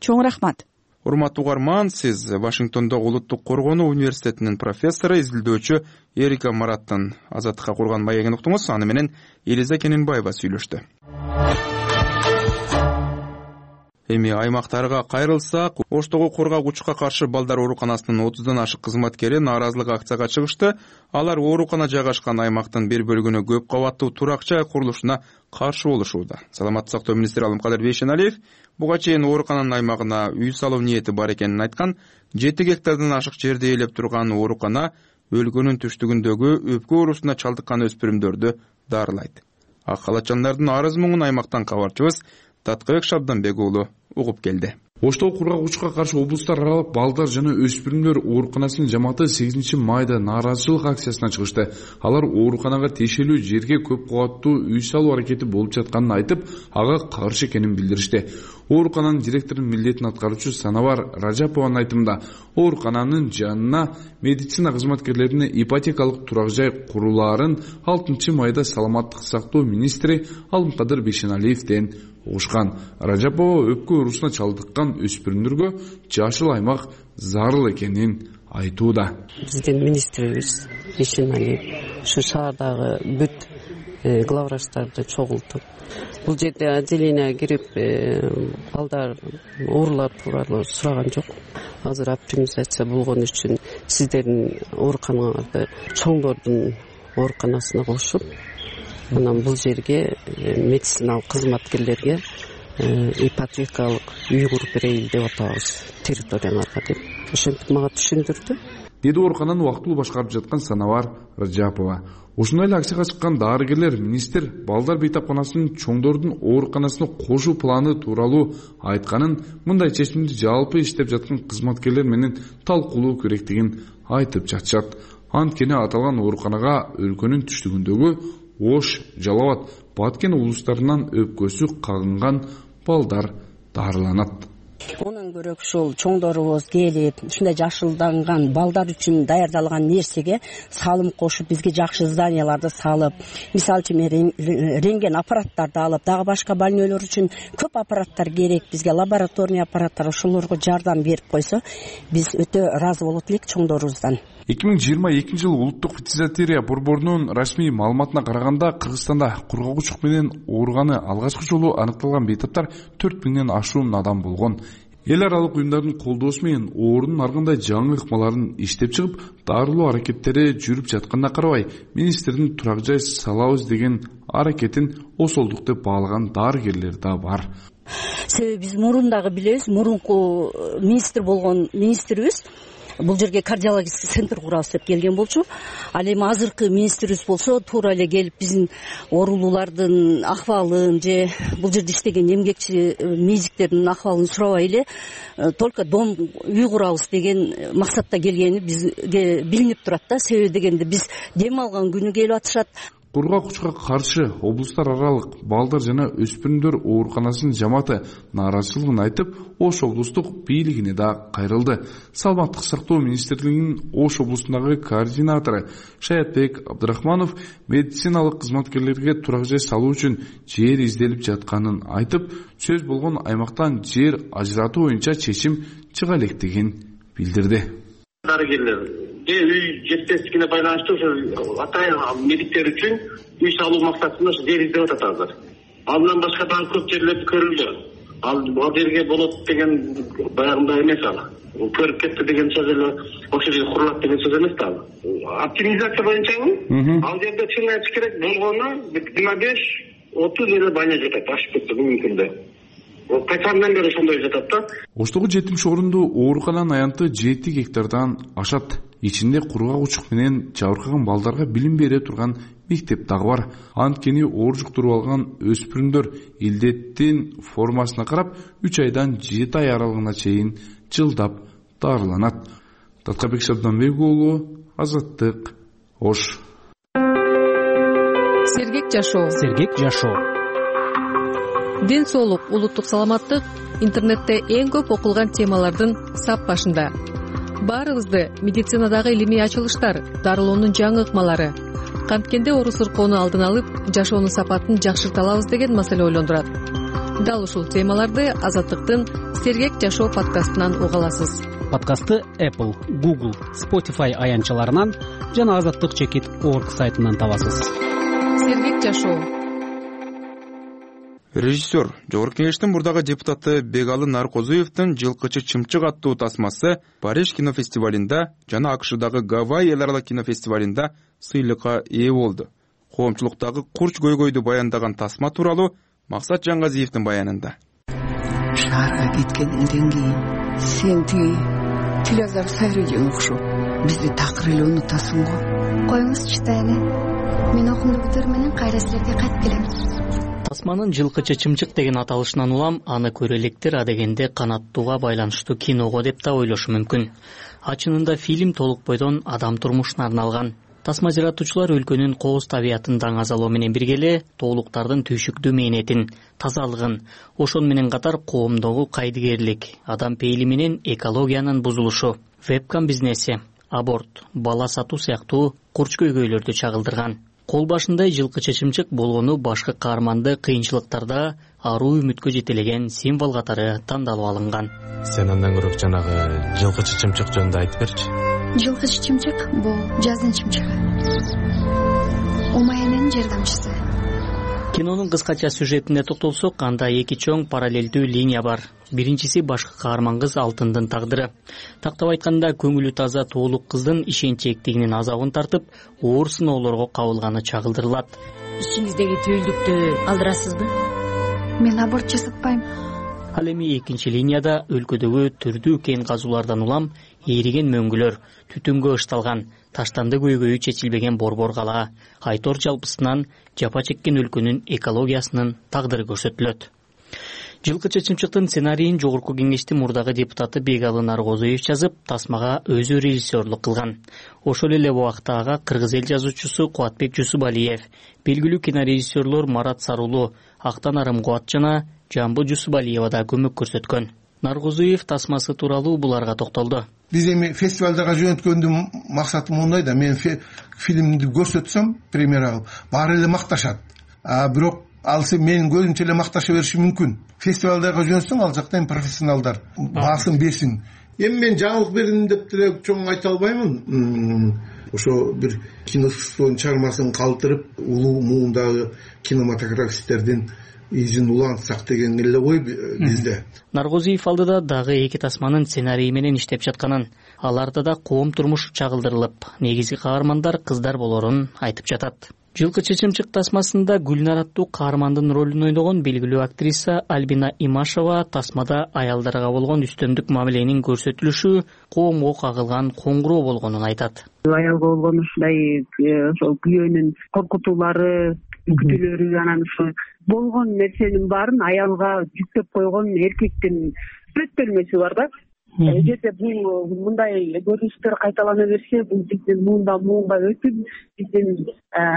Чоң рахмат. Урматтуу угарман, сиз Вашингтондогу Улуттук коргонуу университетинин профессору, изилдөөчү Эрика Мараттын Азаттыкка курган маегин уктуңуз. Аны менен Элиза Кененбаева сүйлөштү. Эми аймактарга кайрылсак, Оштогу кургагучка каршы балдар ооруканасынын отуздан ашык кызматкери нааразылык акцияга чыгышты. Алар оорукана жайгашкан аймактын бир бөлүгүнө көп кабаттуу турак жай курулушуна каршы болушууда. Саламаттык сактоо министри Алымкадыр Бейшеналиев буга чейин оорукананын аймагына үй салуу ниети бар экенин айткан. жети гектардан ашык жерди ээлеп турган оорукана өлкөнүн түштүгүндөгү өпкө оорусуна чалдыккан өспүрүмдөрдү дарылайт. Ак халатчандардын арыз муңун аймактан кабарчыбыз Таткыбек Шабданбек уулу угуп келди. Оштогу кургагучка каршы облустар аралык балдар жана өспүрүмдөр ооруканасынын жамааты сегизинчи майда нааразычылык акциясына чыгышты. Алар ооруканага тиешелүү жерге көп кабаттуу үй салуу аракети болуп жатканын айтып, ага каршы экенин билдиришти. Оорукананын директорунун милдетин аткаруучу Санавар Ражапованын айтымында, оорукананын жанына медицина кызматкерлерине ипотекалык турак жай курулаарын алтынчы майда саламаттык сактоо министри Алымкадыр Бейшеналиевден угушкан. Ражапова өпкө оорусуна чалдыккан өспүрүмдөргө жашыл аймак зарыл экенин айтууда. Биздин министрибиз Бейшеналиев ушу шаардагы бүт главврачтарды чогултуп, бул жерде отделение кирип балдар оорулар тууралуу сураган жок. Азыр оптимизация болгон үчүн сиздердин ооруканаңарды чоңдордун ооруканасына кошуп, анан бул жерге медициналык кызматкерлерге ипотекалык үй куруп берейин деп атабыз территорияларга деп ошентип мага түшүндүрдү. Деди оорукананы убактылуу башкарып жаткан Санавар Ражапова. Ушундай эле акцияга чыккан дарыгерлер министр балдар бейтапканасынын чоңдордун ооруканасына кошуу планы тууралуу айтканын, мындай чечимди жалпы иштеп жаткан кызматкерлер менен талкуулоо керектигин айтып жатышат. Анткени аталган ооруканага өлкөнүн түштүгүндөгү Ош, Жалал абад, Баткен улустарынан өпкөсү кагынган балдар дарыланат. Онун көрөк ушул чоңдорубуз келип, ушундай жашылданган балдар үчүн даярдалган нерсеге салым кошуп, бизге жакшы зданияларды салып, мисалы үчүн рентген аппараттарды алып, дагы башка больнойлор үчүн көп аппараттар керек, бизге лабораторный аппараттар, ошолорго жардам берип койсо, биз өтө ыраазы болот элек чоңдорубуздан. эки миң жыйырма экинчи жылы улуттук ветеринария борборунун расмий маалыматына караганда, Кыргызстанда кургагучук менен ооруганы алгачкы жолу аныкталган бейтаптар төрт миңден ашуун адам болгон. Эл аралык уюмдардын колдоосу менен оорунун ар кандай жаңы ыкмаларын иштеп чыгып, дарылоо аракеттери жүрүп жатканына карабай, министрдин турак жай салабыз деген аракетин осолдук деп баалаган дарыгерлер да бар. Себеби биз мурун билебиз, мурунку министр болгон министрибиз бул жерге кардиологический центр курабыз деп келген болчу. Ал эми азыркы министрибиз болсо туура эле келип биздин оорулуулардын акыбалын же бул жерде иштеген эмгекчи медиктердин акыбалын сурабай эле только дом үй курабыз деген максатта келгени бизге билинип турат да. Себеби дегенде биз дем алган күнү келип атышат. Кургагучка каршы облустар аралык балдар жана өспүрүмдөр ооруканасынын жамааты нааразычылыгын айтып, Ош облустук бийлигине да кайрылды. Саламаттык сактоо министрлигинин Ош облусундагы координатору Шаятбек Абдрахманов медициналык кызматкерлерге турак жай салуу үчүн жер изделип жатканын айтып, сөз болгон аймактан жер ажыратуу боюнча чечим чыга электигин билдирди. Дарыгерлер же үй жетпестигине байланыштуу ошо атайын медиктер үчүн үй салуу максатында жер издеп атат азыр. Андан башка дагы көп жерлер көрүлдү. Ал бул жерге болот деген баягындай эмес ал. Көрүп кетти деген сөз эле ошол жерге курулат деген сөз эмес да ал. Оптимизация боюнчабы? Ал жерде чын айтыш керек болгону жыйырма беш отуз эле баня жатат, ашып кетти бүгүнкү күндө. Качандан бери ошондой жатат да. Оштогу жетимиш орундуу оорукананын аянты жети гектардан ашат. Ичинде кургагучук менен жабыркаган балдарга билим бере турган мектеп дагы бар. Анткени оор жуктуруп алган өспүрүмдөр илдеттин формасына карап үч айдан жети ай аралыгына чейин жылдап дарыланат. Таткыбек Шабданбек уулу, Азаттык, Ош. Сергек жашоо. Сергек жашоо. Ден соолук, улуттук саламаттык интернетте эң көп окулган темалардын сап башында. Баарыбызды медицинадагы илимий ачылыштар, дарылоонун жаңы ыкмалары, канткенде оору сыркоону алдын алып жашоонун сапатын жакшырта алабыз деген маселе ойлондурат. Дал ушул темаларды Азаттыктын Сергек жашоо подкастынан уга аласыз. Подкастты Apple, Google, Spotify аянтчаларынан жана азаттык чекит точка орг сайтынан табасыз. Сергек жашоо. Режиссер, Жогорку Кеңештин мурдагы депутаты Бегалы Наркозуевдин «Жылкычы чымчык» аттуу тасмасы Париж кинофестивалында жана АКШдагы Гавайи эл аралык кинофестивалында сыйлыкка ээ болду. Коомчулуктагы курч көйгөйдү баяндаган тасма тууралуу Максат Жаңгазиевдин баянында. Шаарга кеткенден кийин сен тиги Тилазар Сайрыжан окшоп бизди такыр эле унутасың го. Коюңузчу тайны. Мен окумду бүтөр менен кайра силерге кайтып келем. Тасманын «Жылкычы чымчык» деген аталышынан улам аны көрө электер адегенде канаттууга байланыштуу киного деп да ойлошу мүмкүн. Ачынында фильм толук бойдон адам турмушуна арналган. Тасма жаратуучулар өлкөнүн кооз табиятын даңазалоо менен бирге эле тоолуктардын түйшүктүү мээнетин, тазалыгын, ошону менен катар коомдогу кайдыгерлик, адам пейили менен экологиянын бузулушу, вебкам бизнеси, аборт, бала сатуу сыяктуу курч көйгөйлөрдү чагылдырган. Кол башындай жылкычы чымчык болгону башкы каарманды кыйынчылыктарда аруу үмүткө жетелеген символ катары тандалып алынган. Сен андан көрөк жанагы жылкычы чымчык жөнүндө айтып берчи. Жылкычы чымчык бул жаздын чымчыгы. Умаянын жардамчысы. Кинонун кыскача сюжетине токтолсок, анда эки чоң параллелдүү линия бар. Биринчиси башкы каарман кыз Алтындын тагдыры. Тактап айтканда, көңүлү таза тоолук кыздын ишенчээктигинин азабын тартып, оор сыноолорго кабылганы чагылдырылат. Ичиңиздеги түйүлдүктү алдырасызбы? Мен аборт жасатпайм. Ал эми экинчи линияда өлкөдөгү түрдүү кен казуулардан улам ээриген мөңгүлөр, түтүнгө ышталган, таштанды көйгөйү чечилбеген борбор кала, айтор жалпысынан жапа чеккен өлкөнүн экологиясынын тагдыры көрсөтүлөт. Жылкычы чымчыктын сценарийин Жогорку Кеңештин мурдагы депутаты Бегалы Наркозуев жазып, тасмага өзү режиссерлук кылган. Ошол эле убакта ага кыргыз эл жазуучусу Кубатбек Жусупалиев, белгилүү кинорежиссерлор Марат Сарулу, Актан Арымкубат жана Жамбы Жусупалиева да көмөк көрсөткөн. Наркозуев тасмасы тууралуу буларга токтолду. Биз эми фестивалдарга жөнөткөндүн максаты мындай да, мен фильмди көрсөтсөм, премьера алып, баары эле макташат. А бирок ал сен менин көзүмчө эле макташа бериши мүмкүн. Фестивалдарга жөнөтсөң, ал жакта эми профессионалдар баасын берсин. Эми мен жаңылык бердим деп деле чоң айта албаймын. Ошо бир киностудиянын чыгармасын калтырып, улуу муундагы кинематографисттердин изин улантсак деген эле ой бизде. Наркозуев алдыда дагы эки тасманын сценарийи менен иштеп жатканын, аларда да коом турмуш чагылдырылып, негизги каармандар кыздар болорун айтып жатат. Жылкычы чымчык тасмасында Гүлнар аттуу каармандын ролун ойногон белгилүү актриса Альбина Имашева тасмада аялдарга болгон үстөмдүк мамиленин көрсөтүлүшү коомго кагылган коңгуроо болгонун айтат. Аялга болгон ушундай ошол күйөөнүн коркутуулары, күтүүлөрү, анан ошо болгон нерсенин баарын аялга жүктөп койгон эркектин сүрөттөлмөсү бар да. Эгерде бул мындай көрүнүштөр кайталана берсе, бул биздин муундан муунга өтүп, биздин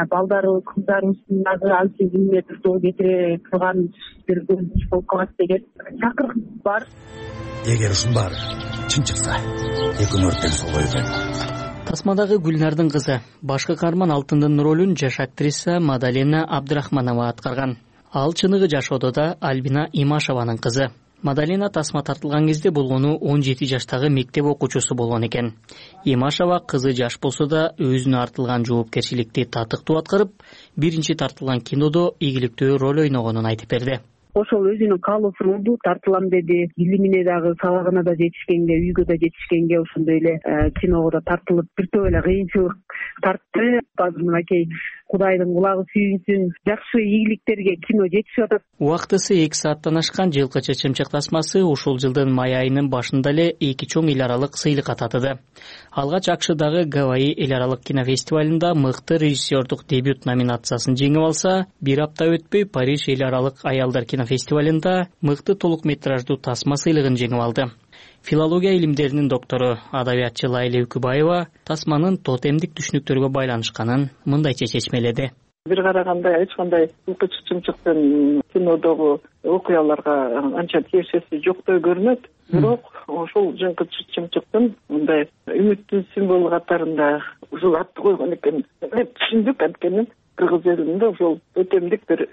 балдарыбыз, кыздарыбыздын дагы ансыз эмне жол кетире турган бир көрүнүш болуп калат деген чакырык бар. Эгер ушун баары чын чыкса, экөөнү өрттөн солой экен. Тасмадагы Гүлнардын кызы, башкы каарман Алтындын ролун жаш актриса Мадалена Абдрахманова аткарган. Ал чыныгы жашоодо да Альбина Имашеванын кызы. Мадалена тасма тартылган кезде болгону он жети жаштагы мектеп окуучусу болгон экен. Имашева кызы жаш болсо да өзүнө артылган жоопкерчиликти татыктуу аткарып, биринчи тартылган кинодо ийгиликтүү роль ойногонун айтып берди. Ошол өзүнүн каалоосу болду, тартылам деди. Илимине дагы, сабагына да жетишкенге, үйгө да жетишкенге ошондой эле киного да тартылып, бир топ эле кыйынчылык тартты. Азыр мынакей Кудайдын кулагы сүйүнсүн, жакшы ийгиликтерге кино жетишип атат. Убактысы эки сааттан ашкан Жылкычы чымчык тасмасы ушул жылдын май айынын башында эле эки чоң эл аралык сыйлыкка татыды. Алгач АКШдагы Гавайи эл аралык кинофестивалында мыкты режиссердук дебют номинациясын жеңип алса, бир апта өтпөй Париж эл аралык аялдар кинофестивалында мыкты толук метраждуу тасма сыйлыгын жеңип алды. Филология илимдеринин доктору, адабиятчы Лайла Үкүбаева тасманын тотемдик түшүнүктөргө байланышканын мындайча чечмеледи. бир караганда эч кандай жылкы чычымчыктын кинодогу окуяларга анча тиешеси жоктой көрүнөт, бирок ошол жылкы чычымчыктын мындай үмүттүн символу катарында ушул атты койгон экен деп түшүндүк. Анткени кыргыз элинде ошол өтемдик бир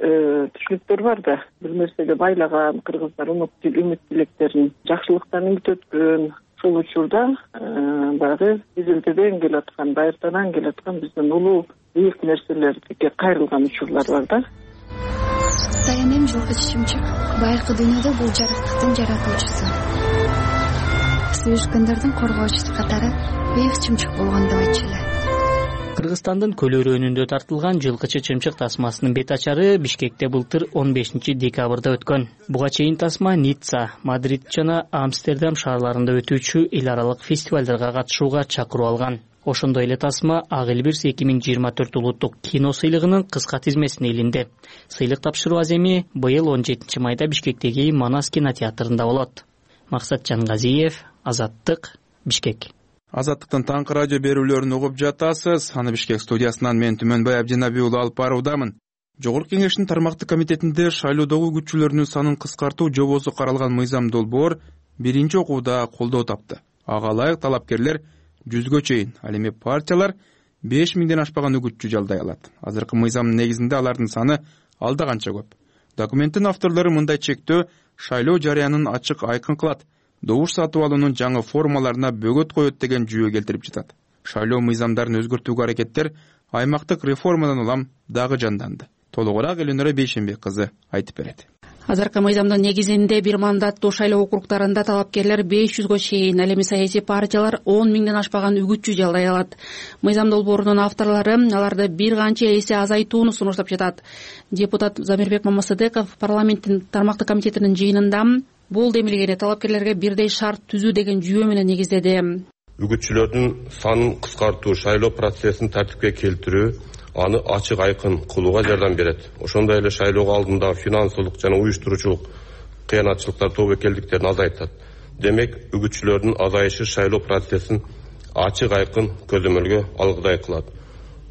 түшүнүктөр бар да, бир нерсеге байлаган кыргыздар үмүт тилектерин жакшылыктан үмүт өткөн. Ошол учурда баягы изилдеден келаткан, байыртадан келаткан биздин улуу бийик нерселерге кайрылган учурлар бар да. Саянем жылкы чычымчык байыркы дүйнөдө бул жарыктыктын жаратуучусу, сүйүшкөндөрдүн коргоочусу катары бийик чымчык болгон деп айтчу эле. Кыргызстандын көл өрөөнүндө тартылган жылкы чычымчык тасмасынын бет ачары Бишкекте былтыр он бешинчи декабрда өткөн. Буга чейин тасма Ницца, Мадрид жана Амстердам шаарларында өтүүчү эл аралык фестивалдарга катышууга чакыруу алган. Ошондой эле тасма Ак Элбирс эки миң жыйырма төрт улуттук кино сыйлыгынын кыска тизмесине илинди. Сыйлык тапшыруу аземи быйыл он жетинчи майда Бишкектеги Манас кинотеатрында болот. Максат Жангазиев, Азаттык, Бишкек. Азаттыктын таңкы радио берүүлөрүн угуп жатасыз. Аны Бишкек студиясынан мен Түмөнбай Абдинабий уулу алып баруудамын. Жогорку Кеңештин тармактык комитетинде шайлоодогу күчүлөрүнүн санын кыскартуу жобосу каралган мыйзам долбоор биринчи окууда колдоо тапты. Ага ылайык талапкерлер жүзгө чейин, ал эми партиялар беш миңден ашпаган үгүтчү жалдай алат. Азыркы мыйзамдын негизинде алардын саны алда канча көп. Документтин авторлору мындай чектөө шайлоо жарыянын ачык айкын кылат, добуш сатып алуунун жаңы формаларына бөгөт коет деген жүйө келтирип жатат. Шайлоо мыйзамдарын өзгөртүүгө аракеттер аймактык реформадан улам дагы жанданды. Толугураак Элөнөрө Бейшенбек кызы айтып берет. Азыркы мыйзамдын негизинде бир мандаттуу шайлоо округдарында талапкерлер беш жүзгө чейин, ал эми саясий партиялар он миңден ашпаган үгүтчү жалдай алат. Мыйзам долбоорунун авторлору аларды бир канча эсе азайтууну сунуштап жатат. Депутат Замирбек Мамасыдеков парламенттин тармактык комитетинин жыйынында бул демилгени талапкерлерге бирдей шарт түзүү деген жүйө менен негиздеди. Үгүтчүлөрдүн санын кыскартуу, шайлоо процессин тартипке келтирүү аны ачык айкын кылууга жардам берет. Ошондой эле шайлоого алдында финансылык жана уюштуруучулук кыянатчылыктар, тобокелдиктерин азайтат. Демек, үгүтчүлөрдүн азайышы шайлоо процессин ачык айкын көзөмөлгө алгыдай кылат.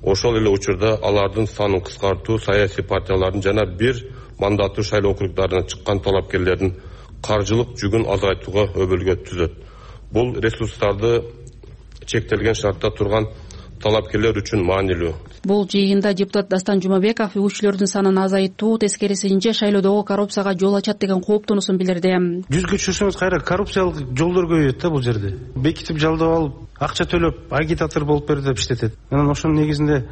Ошол эле учурда алардын санын кыскартуу саясий партиялардын жана бир мандаттуу шайлоо округдарына чыккан талапкерлердин каржылык жүгүн азайтууга өбөлгө түзөт. Бул ресурстарды чектелген шартта турган талапкерлер үчүн маанилүү. Бул жыйында депутат Дастан Жумабеков үгүтчүлөрдүн санын азайтуу тескерисинче шайлоодогу коррупцияга жол ачат деген кооптонуусун билдирди. Жүзгө чыксаңыз кайра коррупциялык жолдор көбөйөт да бул жерде. Бекитип жалдап алып, акча төлөп, агитатор болуп бер деп иштетет. Анан ошонун негизинде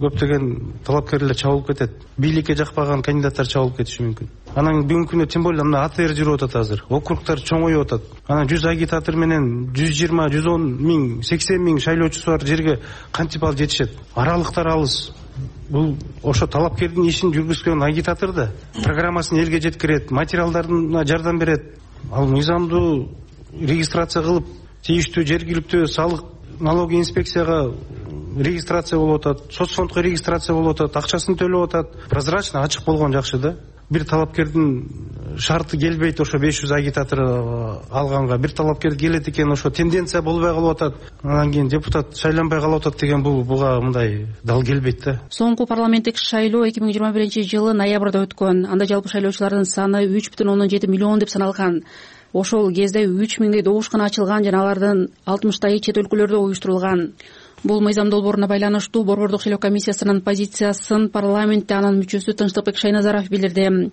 көптөгөн талапкерлер чабылып кетет. Бийликке жакпаган кандидаттар чабылып кетиши мүмкүн. Анан бүгүнкү күндө тем более мына АТР жүрүп атат азыр. Округдар чоңоюп атат. Анан жүз агитатор менен жүз жыйырма, жүз он миң, сексен миң шайлоочусу бар жерге кантип алып жетишет? Аралыктар алыс. Бул ошо талапкердин ишин жүргүзгөн агитатор да программасын элге жеткирет, материалдарына жардам берет. Ал мыйзамдуу регистрация кылып, тийиштүү жергиликтүү салык налоговый инспекцияга регистрация болуп атат, соцфондко регистрация болуп атат, акчасын төлөп атат. Прозрачно, ачык болгон жакшы да. Бир талапкердин шарты келбейт ошо беш жүз агитатор алганга. Бир талапкер келет экен, ошо тенденция болбой калып атат. Анан кийин депутат шайланбай калып атат деген бул буга мындай дал келбейт да. Соңку парламенттик шайлоо эки миң жыйырма биринчи жылы ноябрда өткөн. Анда жалпы шайлоочулардын саны үч бүтүн ондон жети миллион деп саналган. Ошол кезде үч миңдей добушкана ачылган жана алардын алтымыштайы чет өлкөлөрдө уюштурулган. Бул мыйзам долбооруна байланыштуу Борбордук шайлоо комиссиясынын позициясын парламентте анын мүчөсү Тынчтыкбек Шайназаров билдирди.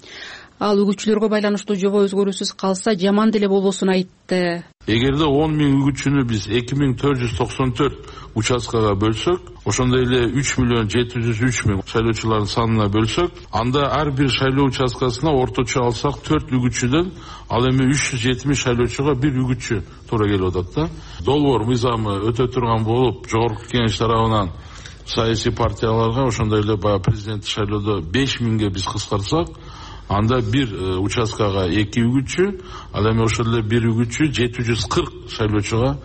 Ал үгүтчүлөргө байланыштуу жобо өзгөрүүсүз калса жаман деле болбосун айтты. Эгерде он миң үгүтчүнү биз эки миң төрт жүз токсон төрт участкага бөлсөк, ошондой эле үч миллион жети жүз үч миң шайлоочулардын санына бөлсөк, анда ар бир шайлоо участкасына орточо алсак төрт үгүтчүдөн ал эми үч жүз жетимиш шайлоочуга бир үгүтчү туура келип атат да. Долбоор мыйзамы өтө турган болуп, жогорку кеңеш тарабынан саясий партияларга ошондой эле баягы президенттик шайлоодо беш миңге биз кыскартсак, анда бир участкага эки үгүтчү, ал эми ошол эле бир үгүтчү жети жүз кырк шайлоочуга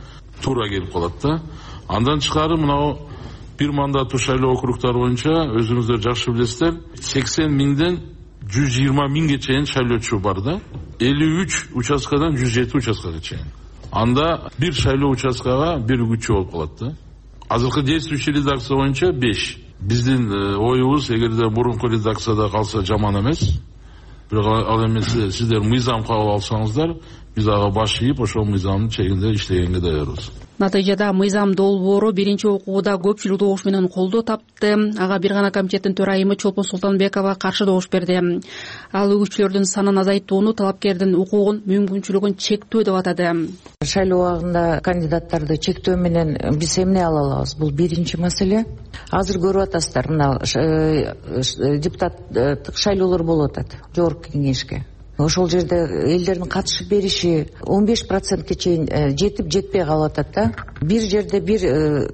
туура келип калат да. Андан тышкары мынау бир мандаттуу шайлоо округдары боюнча өзүңүздөр жакшы билесиздер, сексен миңден жүз жыйырма миңге чейин шайлоочу бар да. элүү үч участкадан жүз жети участкага чейин. Анда бир шайлоо участкага бир үгүтчү болуп калат да. Азыркы действующий редакция боюнча беш. биздин оюбуз эгерде мурунку редакцияда калса жаман эмес, бирок ал эмес сиздер мыйзам кабыл алсаңыздар, биз ага баш ийип ошол мыйзамдын чегинде иштегенге даярбыз. Натыйжада мыйзам долбоору биринчи окууда көпчүлүк добуш менен колдоо тапты. Ага бир гана комитеттин төрайымы Чолпон Султанбекова каршы добуш берди. Ал үгүтчүлөрдүн санын азайтууну, талапкердин укугун, мүмкүнчүлүгүн чектөө деп атады. Шайлоо убагында кандидаттарды чектөө менен биз эмне ала алабыз? Бул биринчи маселе. Азыр көрүп атасыздар, мына депутаттык шайлоолор болуп атат жогорку кеңешке. Ошол жерде элдердин катышып бериши он беш процентке чейин жетип жетпей калып атат да. Бир жерде бир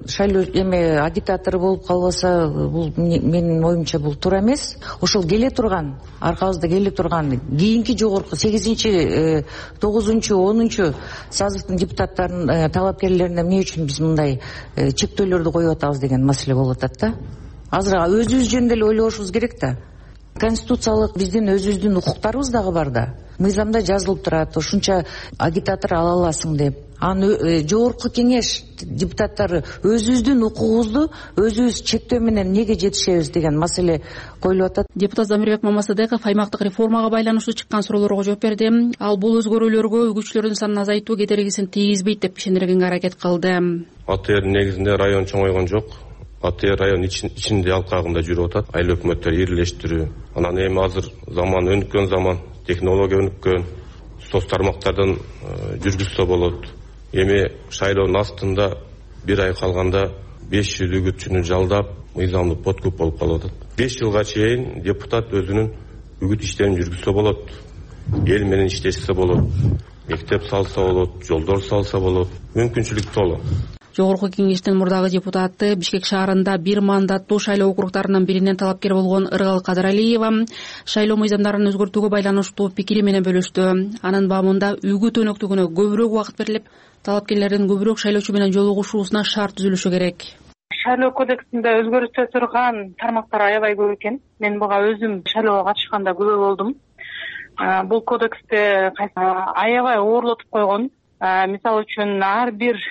шайлоо эме агитатор болуп калбаса, бул менин оюмча бул туура эмес. Ошол келе турган, аркабызда келе турган кийинки жогорку сегизинчи, тогузунчу, онунчу сазывдын депутаттарын талапкерлерине эмне үчүн биз мындай чектөөлөрдү коюп атабыз деген маселе болуп атат да. Азыр өзүбүз жөнүндө эле ойлошубуз керек да. Конституциялык биздин өзүбүздүн укуктарыбыз дагы бар да. Мыйзамда жазылып турат, ушунча агитатор ала аласың деп. Аны жогорку кеңеш депутаттары өзүбүздүн укугубузду өзүбүз чектөө менен эмнеге жетишебиз деген маселе коюлуп атат. Депутат Замирбек Мамасадеков аймактык реформага байланыштуу чыккан суроолорго жооп берди. Ал бул өзгөрүүлөргө үгүтчүлөрдүн санын азайтуу кедергисин тийгизбейт деп ишендиргенге аракет кылды. АТР негизинде район чоңойгон жок. АТР район ичинде алкагында жүрүп атат. Айыл өкмөттөр ирилештирүү. Анан эми азыр заман өнүккөн заман, технология өнүккөн, соц тармактардан жүргүзсө болот. Эми шайлоонун астында бир ай калганда беш жүз үгүтчүнү жалдап, мыйзамдык подкуп болуп калып атат. беш жылга чейин депутат өзүнүн үгүт иштерин жүргүзсө болот. Эл менен иштешсе болот. Мектеп салса болот, жолдор салса болот. Мүмкүнчүлүк толо. Жогорку кеңештин мурдагы депутаты Бишкек шаарында бир мандаттуу шайлоо округдарынын биринен талапкер болгон Ыргал Кадыралиева шайлоо мыйзамдарын өзгөртүүгө байланыштуу пикири менен бөлүштү. Анын бабында үгүт өнөктүгүнө көбүрөөк убакыт берилип, талапкерлердин көбүрөөк шайлоочу менен жолугушуусуна шарт түзүлүшү керек. Шайлоо кодексинде өзгөртө турган тармактар аябай көп экен. Мен буга өзүм шайлоого катышканда күбө болдум. Бул кодексте аябай оорлотуп койгон. Мисалы үчүн ар бир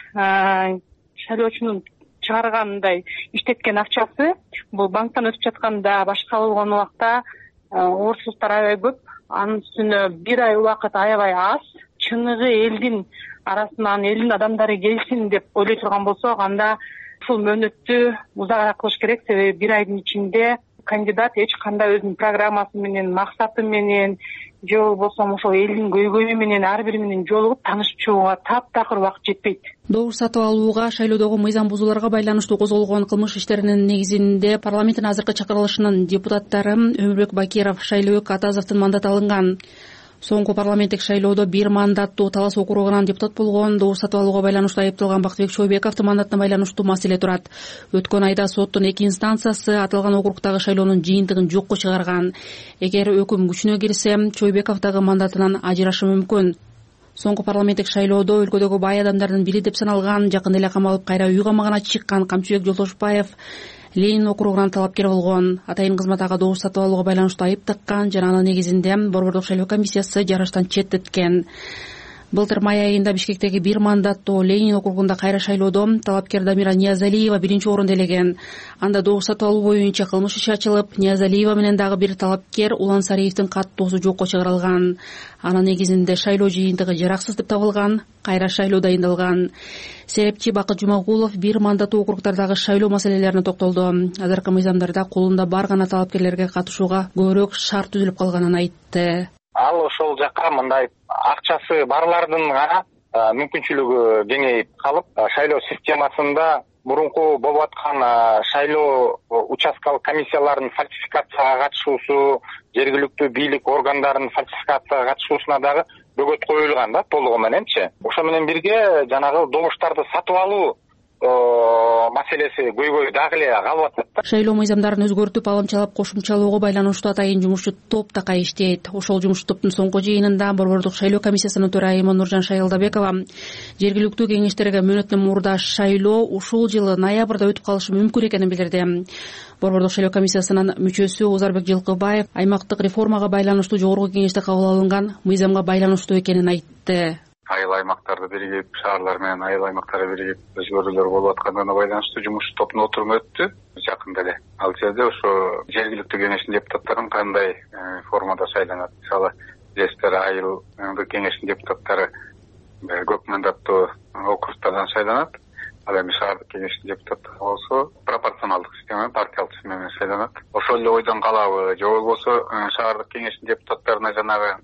шайлоочунун чыгаргандай иштеткен акчасы бул банктан өтүп жатканда, башка болгон убакта орсуздуктар аябай көп. Анын үстүнө бир ай убакыт аябай аз. Чыныгы элдин арасынан элдин адамдары келсин деп ойлой турган болсок, анда ушул мөөнөттү узагыраак кылыш керек. Себеби бир айдын ичинде кандидат эч кандай өзүнүн программасы менен, максаты менен же болбосо ошол элдин көйгөйү менен ар бири менен жолугуп таанышып чыгууга таптакыр убакыт жетпейт. Добуш сатып алууга, шайлоодогу мыйзам бузууларга байланыштуу козголгон кылмыш иштеринин негизинде парламенттин азыркы чакырылышынын депутаттары Өмүрбек Бакиров, Шайлообек Атазовдун мандаты алынган. Соңку парламенттик шайлоодо бир мандаттуу Талас округунан депутат болгон, добуш сатып алууга байланыштуу айыпталган Бактыбек Чойбековдун мандатына байланыштуу маселе турат. Өткөн айда соттун эки инстанциясы аталган округдагы шайлоонун жыйынтыгын жокко чыгарган. Эгер өкүм күчүнө кирсе, Чойбеков дагы мандатынан ажырашы мүмкүн. Соңку парламенттик шайлоодо өлкөдөгү бай адамдардын бири деп саналган, жакында эле камалып кайра үй камагына чыккан Камчыбек Жолтошбаев Ленин округунан талапкер болгон. Атайын кызмат ага добуш сатып алууга байланыштуу айып таккан жана анын негизинде Борбордук шайлоо комиссиясы жарыштан четтеткен. Былтыр май айында Бишкектеги бир мандаттуу Ленин округунда кайра шайлоодо талапкер Дамира Ниязалиева биринчи орунду ээлеген. Анда добуш сатып алуу боюнча кылмыш иши ачылып, Ниязалиева менен дагы бир талапкер Улан Сариевдин каттоосу жокко чыгарылган. Анын негизинде шайлоо жыйынтыгы жараксыз деп табылган, кайра шайлоо дайындалган. Серепчи Бакыт Жумагулов бир мандаттуу округдардагы шайлоо маселелерине токтолду. Азыркы мыйзамдарда колунда бар гана талапкерлерге катышууга көбүрөөк шарт түзүлүп калганын айтты. Ал ошол жака мындай акчасы барлардын гана мүмкүнчүлүгү кеңейип калып, шайлоо системасында мурунку болуп аткан шайлоо участкалык комиссияларынын фальсификацияга катышуусу, жергиликтүү бийлик органдарынын фальсификацияга катышуусуна дагы бөгөт коюлган да, толугу мененчи. Ошо менен бирге жанагы добуштарды сатып алуу маселеси көйгөй дагы эле калып атат. Шайлоо мыйзамдарын өзгөртүп, алымчалап кошумчалоого байланыштуу атайын жумушчу топ такай иштейт. Ошол жумуш топтун соңку жыйынында Борбордук шайлоо комиссиясынын төрайымы Нуржан Шайылдабекова жергиликтүү кеңештерге мөөнөттөн мурда шайлоо ушул жылы ноябрда өтүп калышы мүмкүн экенин билдирди. Борбордук шайлоо комиссиясынын мүчөсү Узарбек Жылкыбаев аймактык реформага байланыштуу жогорку кеңеште кабыл алынган мыйзамга байланыштуу экенин айтты. айыл аймактарды биригип, шаарлар менен айыл аймактарды биригип өзгөрүүлөр болуп аткандыгына байланыштуу жумуш тобунун отуруму өттү жакында эле. Ал жерде ошо жергиликтүү кеңештин депутаттарын кандай формада шайланат, мисалы жештер айылдык кеңештин депутаттары көп мандаттуу округтардан шайланат, ал эми шаардык кеңештин депутаттары болсо пропорционалдык система, партиялык система менен шайланат. Ошол эле ойдон калабы же болбосо шаардык кеңештин депутаттарына жанагы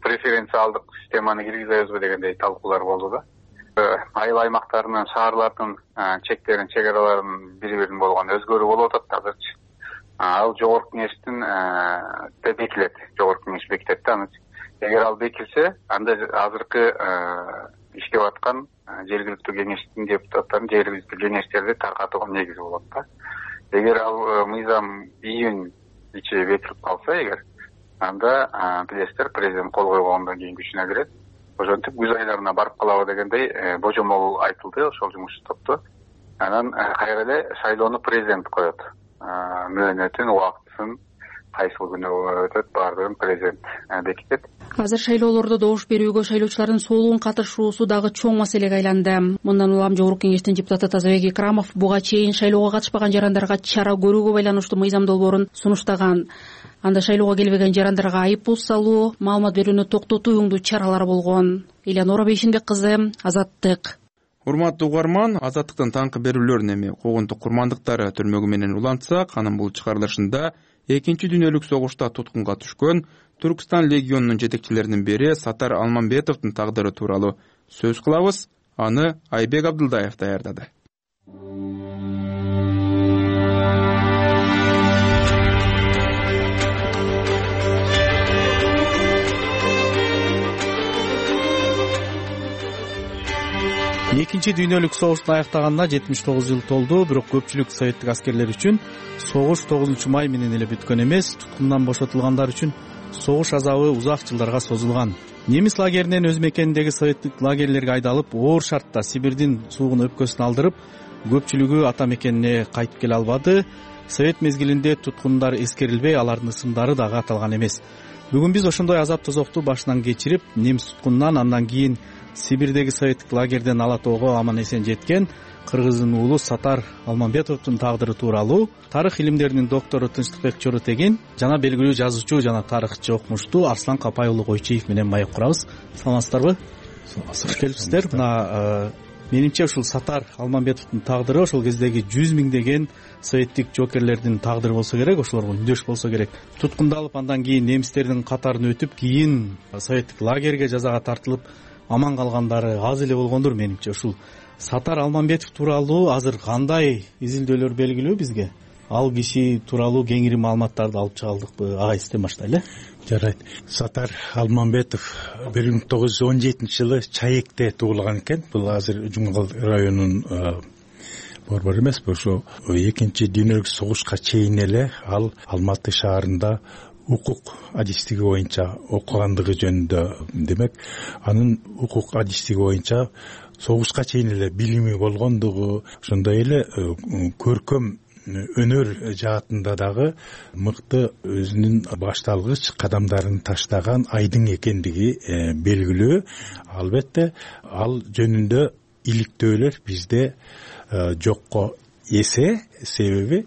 преференциалдык системаны киргизебизби дегендей талкуулар болду да. Айыл аймактарынын, шаарлардын чектерин, чек араларын бири-бирин болгон өзгөрүү болуп атат азырчы. Ал жогорку кеңештин бекилет, жогорку кеңеш бекитет да аны. Эгер ал бекилсе, анда азыркы иштеп аткан жергиликтүү кеңештин депутаттарын жергиликтүү кеңештерди таркатууга негиз болот да. Эгер ал мыйзам июнь ичи бекилип калса, эгер анда билесиздер, президент кол койгондон кийин күчүнө кирет. Ошентип күз айларына барып калабы дегендей божомол айтылды ошол жумуш топто. Анан кайра эле шайлоону президент коет. Мөөнөтүн, убактысын, кайсыл күнү өтөт, баардыгын президент бекитет. Азыр шайлоолордо добуш берүүгө шайлоочулардын солугун катышуусу дагы чоң маселеге айланды. Мындан улам жогорку кеңештин депутаты Тазабек Икрамов буга чейин шайлоого катышпаган жарандарга чара көрүүгө байланыштуу мыйзам долбоорун сунуштаган. Анда шайлоого келбеген жарандарга айып пул салуу, маалымат берүүнү токтотуу үңдүү чаралар болгон. Элянора Бейшенбек кызы, Азаттык. Урматтуу угарман, Азаттыктын таңкы берүүлөрүн эми когунтук курмандыктары түрмөгү менен улантсак, анын бул чыгарылышында экинчи дүйнөлүк согушта туткунга түшкөн Түркстан легионунун жетекчилеринин бири Сатар Алмамбетовдун тагдыры тууралуу сөз кылабыз. Аны Айбек Абдылдаев даярдады. Экинчи дүйнөлүк согуштун аяктаганына жетимиш тогуз жыл толду, бирок көпчүлүк советтик аскерлер үчүн согуш тогузунчу май менен эле бүткөн эмес, туткундан бошотулгандар үчүн согуш азабы узак жылдарга созулган. Немис лагеринен өз мекениндеги советтик лагерлерге айдалып, оор шартта Сибирдин суугун өпкөсүн алдырып, көпчүлүгү ата мекенине кайтып келе албады. Совет мезгилинде туткундар эскерилбей, алардын ысымдары дагы аталган эмес. Бүгүн биз ошондой азап тозокту башынан кечирип, немис туткунунан, андан кийин Сибирдеги советтик лагерден Ала тоого аман эсен жеткен кыргыздын уулу Сатар Алмамбетовдун тагдыры тууралуу тарых илимдеринин доктору Тынчтыкбек Чоротегин жана белгилүү жазуучу жана тарыхчы окумуштуу Арслан Капай уулу Койчиев менен маек курабыз. Саламатсыздарбы? Саламатсыздар. Келипсиздер. Мына менимче ушул Сатар Алмамбетовдун тагдыры ошол кездеги жүз миңдеген советтик жоокерлердин тагдыры болсо керек, ошолорго үндөш болсо керек. Туткундалып, андан кийин немистердин катарын өтүп, кийин советтик лагерге жазага тартылып аман калгандары аз эле болгондур менимче. Ушул Сатар Алмамбетов тууралуу азыр кандай изилдөөлөр белгилүү бизге? Ал киши тууралуу кеңири маалыматтарды алып чыга алдыкпы? Агай, сизден баштайлы. Жарайт. Сатар Алмамбетов бир миң тогуз жүз он жетинчи жылы Чаекте туулган экен. Бул азыр Жумгал районунун борбору эмес, ошо экинчи дүйнөлүк согушка чейин эле ал Алматы шаарында укук адистиги боюнча окугандыгы жөнүндө, демек анын укук адистиги боюнча согушка чейин эле билими болгондугу, ошондой эле көркөм өнөр жаатында дагы мыкты өзүнүн башталгыч кадамдарын таштаган айдың экендиги белгилүү. Албетте ал жөнүндө иликтөөлөр бизде жокко эсе, себеби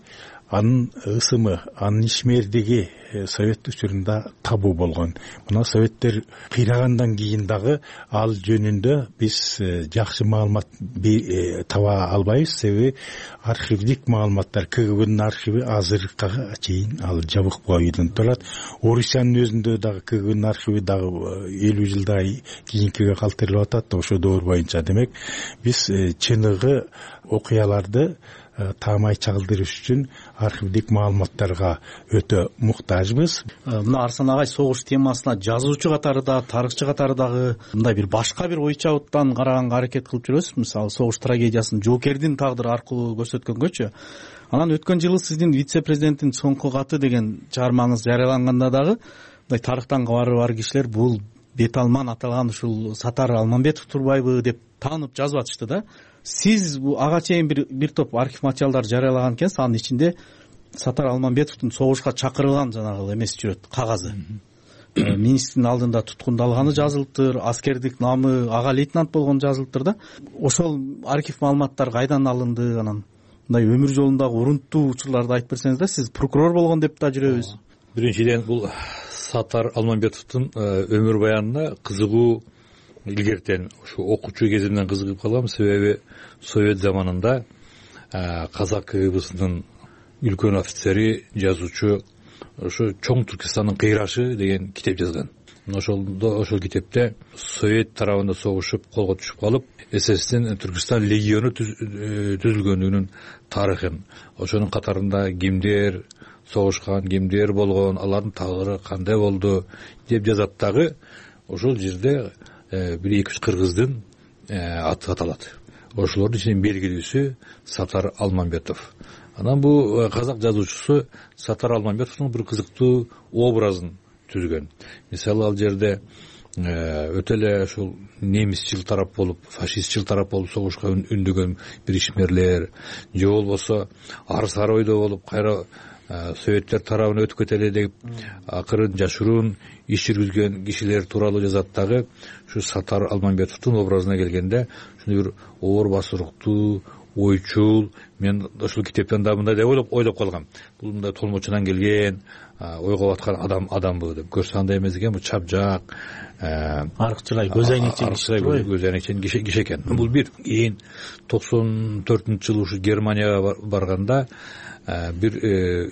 анын ысымы, анын ишмердиги совет учурунда табуу болгон. Мына советтер кыйрагандан кийин дагы ал жөнүндө биз жакшы маалымат таба албайбыз, себеби архивдик маалыматтар, КГБнын архиви азыркыга чейин ал жабык бойдон турат. Орусиянын өзүндө дагы КГБнын архиви дагы элүү жылдай кийинкиге калтырылып атат, ошо доор боюнча. Демек биз чыныгы окуяларды таамай чагылдырыш үчүн архивдик маалыматтарга өтө муктажбыз. Мына Арслан агай, согуш темасына жазуучу катары да, тарыхчы катары дагы мындай бир башка бир ой чабыттан караганга аракет кылып жүрөсүз. Мисалы, согуш трагедиясын жоокердин тагдыры аркылуу көрсөткөнгөчү. Анан өткөн жылы сиздин вице-президенттин соңку каты деген чыгармаңыз жарыяланганда дагы мындай тарыхтан кабары бар кишилер бул бет алман аталган ушул Сатар Алмамбетов турбайбы деп таанып жазып атышты да. Сиз ага чейин бир бир топ архив материалдар жарыялаган экенсиз, анын ичинде Сатар Алмамбетовдун согушка чакырылган жанагы эмеси жүрөт, кагазы. министрдин алдында туткундалганы жазылыптыр, аскердик намы ага лейтенант болгону жазылыптыр да. Ошол архив маалыматтар кайдан алынды, анан мындай өмүр жолундагы урунттуу учурларды айтып берсеңиз да. Сиз прокурор болгон деп да жүрөбүз. Биринчиден бул Сатар Алмамбетовдун өмүр баянына кызыгуу илгертен ушу окуучу кезимден кызыгып калгам. Себеби Совет заманында казак КГБсынын үлкөн офицери, жазуучу ошо Чоң Түркистандын кыйрашы деген китеп жазган. Ошолдо ошол китепте Совет тарабында согушуп колго түшүп калып, СССРдин Түркистан легиону түзүлгөндүгүнүн тарыхын, ошонун катарында кимдер согушкан, кимдер болгон, алардын тагдыры кандай болду деп жазат дагы. Ошол жерде бир эки үч кыргыздын аты аталат. Ошолордун ичинен белгилүүсү Сатар Алмамбетов. Анан бул казак жазуучусу Сатар Алмамбетовдун бир кызыктуу образын түзгөн. Мисалы, ал жерде өтө эле ушул немисчил тарап болуп, фашистчил тарап болуп согушка үндөгөн бир ишмерлер, же болбосо ар-сары ойдо болуп, кайра советтер тарабына өтүп кетели деп акырын жашыруун иш жүргүзгөн кишилер тууралуу жазат дагы. Ушу Сатар Алмамбетовдун образына келгенде ушундай бир оор басыруктуу, ойчул, мен ушул китептен да мындай деп ойлоп ойлоп калгам. Бул мындай толмочунан келген, ойго баткан адам адамбы деп. Көрсө андай эмес экен, бул чапжак, арыкчылай, көз айнекчен көз айнекчен киши экен. Бул бир. Кийин токсон төртүнчү жылы ушу Германияга барганда бир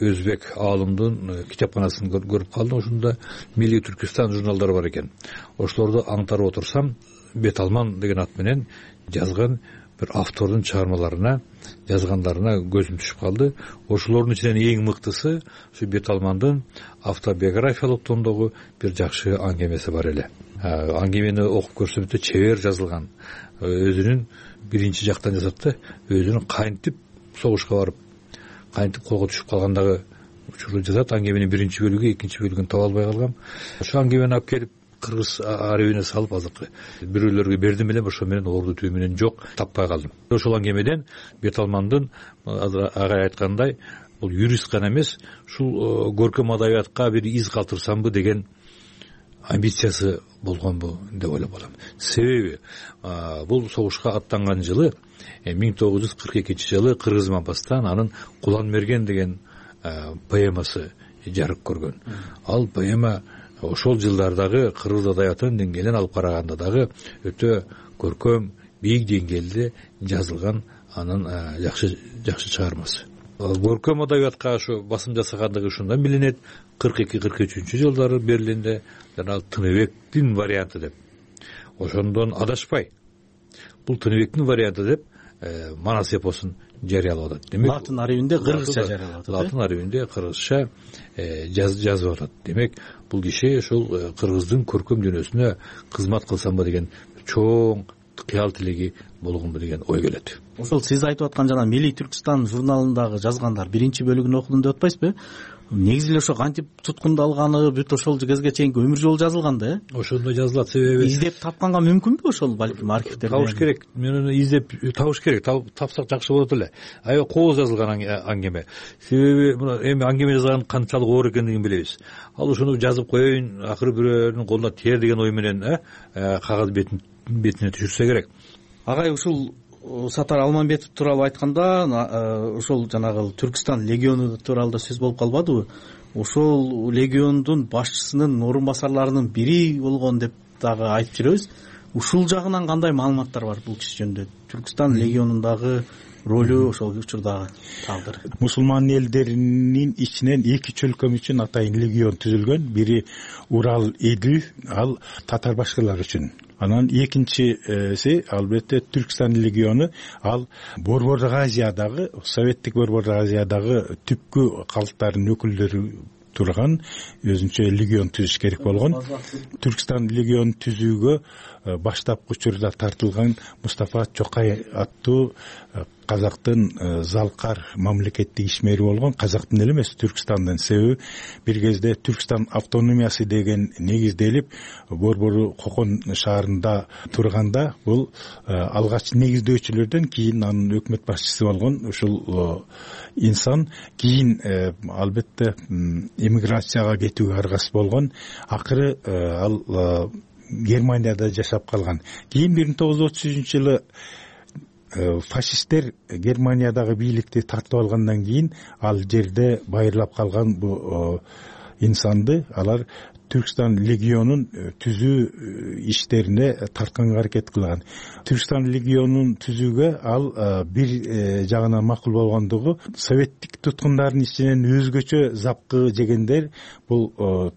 өзбек аалымдын китепканасын көрүп калдым. Ошондо Милли Түркистан журналдары бар экен. Ошолорду аңтарып отурсам, Беталман деген ат менен жазган бир автордун чыгармаларына, жазгандарына көзүм түшүп калды. Ошолордун ичинен эң мыктысы ушу Беталмандын автобиографиялык томдогу бир жакшы аңгемеси бар эле. Аңгемени окуп көрсөм өтө чебер жазылган. Өзүнүн биринчи жактан жазат да, өзүнүн кантип согушка барып, кантип колго түшүп калгандагы учурду жазат. Аңгеменин биринчи бөлүгү, экинчи бөлүгүн таба албай калгам. Ошо аңгемени алып келип кыргыз архивине салып, азыркы бирөөлөргө бердим эле, ошо менен орду түү менен жок, таппай калдым. Ошол аңгемеден Беталмандын агай айткандай, бул юрист гана эмес, ушул көркөм адабиятка бир из калтырсамбы деген амбициясы болгонбу деп ойлоп калам. Себеби бул согушка аттанган жылы миң тогуз жүз кырк экинчи жылы Кыргыз Мапастан анын Кулан мерген деген поэмасы жарык көргөн. Ал поэма ошол жылдардагы кыргыз адабиятынын деңгээлин алып караганда дагы өтө көркөм, бийик деңгээлде жазылган анын жакшы жакшы чыгармасы. Көркөм адабиятка ошо басым жасагандыгы ушундан билинет. кырк эки кырк үчүнчү жылдары Берлинде жана Тыныбектин варианты деп. Ошондон адашпай бул Тыныбектин варианты деп Манас эпосун жарыялап атат. Демек, латын архивинде кыргызча жарыялап атат. Латын архивинде кыргызча жазып атат. Демек, бул киши ошол кыргыздын көркөм дүйнөсүнө кызмат кылсамбы деген чоң кыял тилеги болгонбу деген ой келет. Ошол сиз айтып аткан жана Милли Түркистан журналындагы жазгандар биринчи бөлүгүн окудум деп атпайсызбы? Негизи эле ошо кантип туткундалганы, бүт ошол кезге чейинки өмүр жолу жазылган да, э? Ошондой жазылат. Себеби издеп тапканга мүмкүнбү ошол, балким архивтерде? Табыш керек. Мен аны издеп табыш керек. Тапсак жакшы болот эле. Аябай кооз жазылган аңгеме. Себеби мына эми аңгеме жазган канчалык оор экендигин билебиз. Ал ошону жазып коеюн, акыры бирөөнүн колуна тиер деген ой менен кагаз бетин бетине түшүрсө керек. Агай, ушул Сатар Алмамбетов тууралуу айтканда, ошол жанагы Түркистан легиону тууралуу да сөз болуп калбадыбы? Ошол легиондун башчысынын орун басарларынын бири болгон деп дагы айтып жүрөбүз. Ушул жагынан кандай маалыматтар бар бул киши жөнүндө? Түркистан легионундагы ролу, ошол учурдагы тагдыры. Мусулман элдеринин ичинен эки чөлкөм үчүн атайын легион түзүлгөн. Бири Урал, Эдил, ал татар башкалар үчүн. Анан экинчиси албетте Түркистан легиону, ал Борбордук Азиядагы, советтик Борбордук Азиядагы түпкү калктардын өкүлдөрү турган өзүнчө легион түзүш керек болгон. Түркистан легион түзүүгө баштапкы учурда тартылган Мустафа Чокай аттуу казактын залкар мамлекеттик ишмери болгон, казактын эле эмес, Түркстандын. Себеби бир кезде Түркстан автономиясы деген негизделип Борбору Кокон шаарында турганда бул алгач негиздөөчүлөрдөн, кийин анын өкмөт башчысы болгон ушул инсан кийин албетте эмиграцияга кетүүгө аргасыз болгон. Акыры ал Германияда жашап калган. Кийин бир миң тогуз жүз отуз үчүнчү жылы фашисттер Германиядагы бийликти тартып алгандан кийин ал жерде байырлап калган бу инсанды алар Түркстан легионун түзүү иштерине тартканга аракет кылган. Түркстан легионун түзүүгө ал бир жагынан макул болгондугу, советтик туткундардын ичинен өзгөчө запкы жегендер бул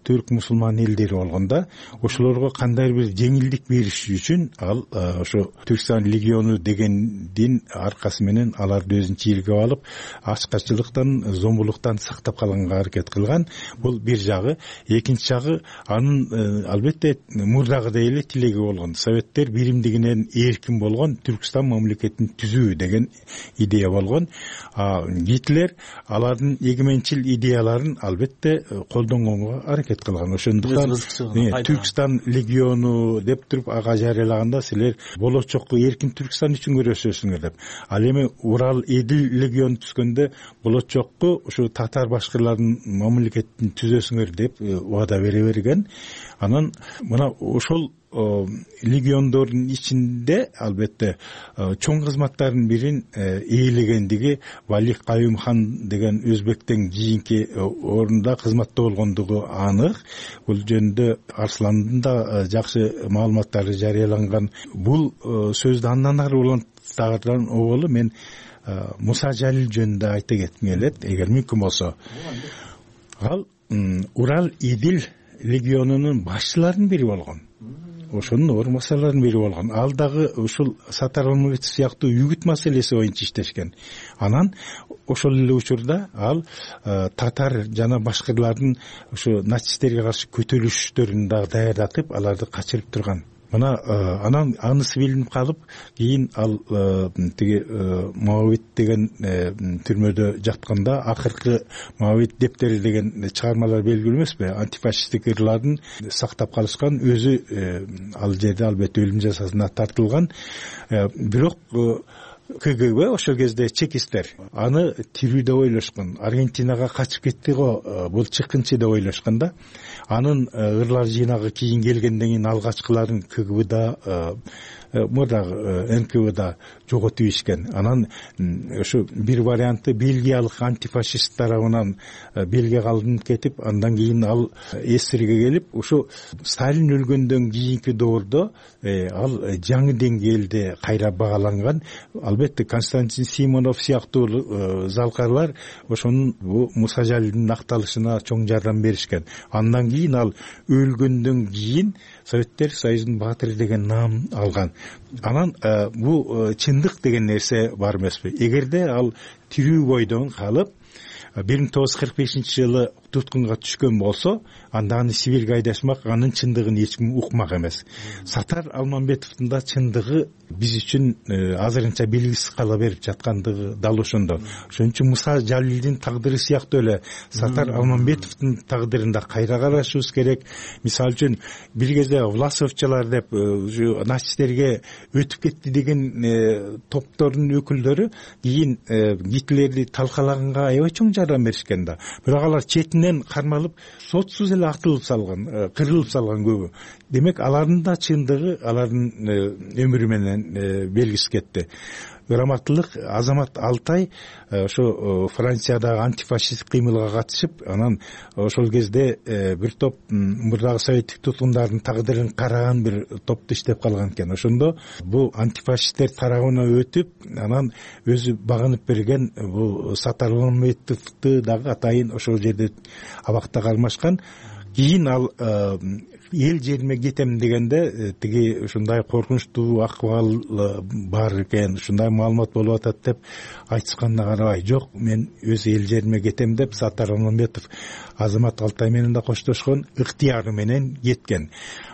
түрк мусулман элдери болгондо, ошолорго кандайдыр бир жеңилдик бериш үчүн ал ошо Түркстан легиону дегендин аркасы менен аларды өзүнүн чийилге алып, ачкачылыктан, зомбулуктан сактап калганга аракет кылган. Бул бир жагы. Экинчи жагы, анын албетте мурдагыдай эле тилеги болгон. Советтер биримдигинен эркин болгон Түркстан мамлекетин түзүү деген идея болгон. Гитлер алардын эгеменчил идеяларын албетте колдонгонго аракет кылган. Ошондуктан Түркстан легиону деп туруп ага жарыялаганда силер болочокко эркин Түркстан үчүн күрөшөсүңөр деп. Ал эми Урал Эдил легиону түзгөндө болочокко ушу татар башкырлардын мамлекетин түзөсүңөр деп убада бере берген. Анан мына ошол легиондордун ичинде албетте чоң кызматтардын бирин ээлегендиги Валих Каюм хан деген өзбектен кийинки орунда кызматта болгондугу анык. Бул жөнүндө Арсландын да жакшы маалыматтары жарыяланган. Бул сөздү андан ары улантаган оболу мен Муса Жалил жөнүндө айта кетким келет, эгер мүмкүн болсо. Ал Урал Идил легионунун башчыларынын бири болгон. Ошонун орун басарларынын бири болгон. Ал дагы ушул Сатар Алмамбетов сыяктуу үгүт маселеси боюнча иштешкен. Анан ошол эле учурда ал татар жана башкырлардын ушу нацисттерге каршы көтөрүлүштөрүн дагы даярдатып, аларды качырып турган. Мына анан анысы билинип калып, кийин ал тиги Моавит деген түрмөдө жатканда акыркы Моавит дептери деген чыгармалар белгилүү эмеспи? Антифашисттик ырлардын сактап калышкан, өзү ал жерде албетте өлүм жазасына тартылган. Бирок ка гэ бэ ошол кезде чекисттер аны тирүү деп ойлошкон. Аргентинага качып кетти го, бул чыккынчы деп ойлошкон да. Анын ырлар жыйнагы кийин келгенден кийин алгачкыларын ка гэ бда мурдагы эн ка бда жоготуп ийишкен. Анан ошо бир варианты Бельгиялык антифашист тарабынан Бельгияга алынып кетип, андан кийин ал эсирге келип, ошо Сталин өлгөндөн кийинки доордо ал жаңы деңгээлде кайра багаланган. Албетте Константин Симонов сыяктуу залкарлар ошонун Муса Жалилдин акталышына чоң жардам беришкен. Андан кийин ал өлгөндөн кийин Советтер Союзунун баатыры деген наам алган. Анан бул чындык деген нерсе бар эмеспи? Эгерде ал тирүү бойдон калып бир миң тогуз жүз кырк бешинчи жылы туткунга түшкөн болсо, анда аны Сибирге айдашмак, анын чындыгын эч ким укмак эмес. Сатар Алмамбетовдун да чындыгы биз үчүн азырынча белгисиз кала берип жаткандыгы дал ошондо. Ошон үчүн Муса Жалилдин тагдыры сыяктуу эле Сатар Алмамбетовдун тагдырында кайра карашыбыз керек. Мисалы үчүн бир кезде Власовчалар деп нацисттерге өтүп кетти деген топтордун өкүлдөрү кийин Гитлерди талкалаганга аябай чоң жардам беришкен да. Бирок алар четинен кармалып, сотсуз эле атылып салган, кырылып салган көбү. Демек, алардын да чындыгы алардын өмүрү менен белгисиз кетти. Ырматтуулук Азамат Алтай ошо Франциядагы антифашисттик кыймылга катышып, анан ошол кезде бир топ мурдагы советтик туткундардын тагдырын караган бир топту иштеп калган экен. Ошондо бул антифашисттер тарабына өтүп, анан өзү багынып берген бул Сатар Алмамбетовду дагы атайын ошол жерде абакта кармашкан. кийин ал эл жериме кетем дегенде тиги ушундай коркунучтуу акыбал бар экен, ушундай маалымат болуп атат деп айтышканына карабай, жок мен өз эл жериме кетем деп Саттар Алмамбетов Азамат Алтай менен да коштошкон, ыктыяры менен кеткен.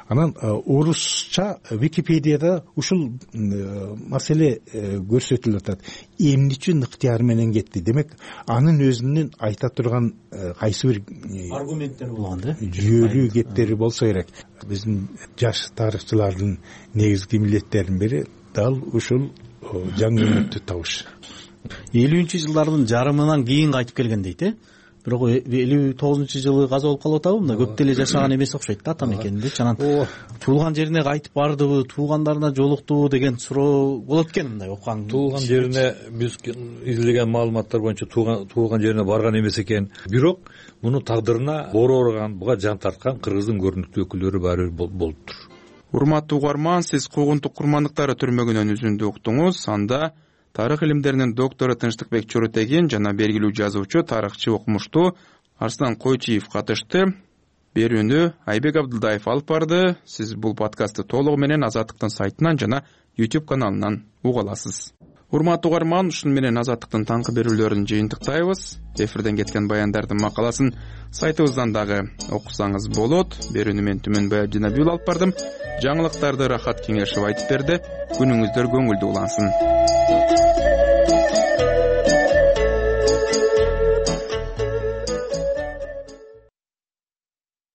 Анан орусча Википедияда ушул маселе көрсөтүлүп атат. Эмне үчүн ыктыяры менен кетти? Демек, анын өзүнүн айта турган кайсы бир аргументтери болгон да, жүйөлүү кептери болсо керек. Биздин жаш тарыхчылардын негизги милдеттеринин бири дал ушул жаңы үмүттү табыш. элүүнчү жылдардын жарымынан кийин кайтып келген дейт, э? Бирок элүү тогузунчу жылы каза болуп калып атабы? Мында көп деле жашаган эмес окшойт да ата мекенинде. Анан туулган жерине кайтып бардыбы, туугандарына жолуктубу деген суроо болот экен мындай окуган. Туулган жерине биз изилдеген маалыматтар боюнча туулган жерине барган эмес экен. Бирок муну тагдырына боору ооруган, буга жан тарткан кыргыздын көрүнүктүү өкүлдөрү баары бир болуптур. Урматтуу угарман, сиз Куугунтук курмандыктары түрмөгүнөн үзүндү уктуңуз. Анда тарых илимдеринин доктору Тынчтыкбек Чоротегин жана белгилүү жазуучу, тарыхчы, окумуштуу Арслан Койчиев катышты. Берүүнү Айбек Абдылдаев алып барды. Сиз бул подкастты толугу менен Азаттыктын сайтынан жана YouTube каналынан уга аласыз. Урматтуу угарман, ушуну менен Азаттыктын таңкы берүүлөрүн жыйынтыктайбыз. Эфирден кеткен баяндардын макаласын сайтыбыздан дагы окусаңыз болот. Берүүнү мен Түмөн Баябдинабил алып бардым. Жаңылыктарды Рахат Кеңешев айтып берди. Күнүңүздөр көңүлдүү улансын.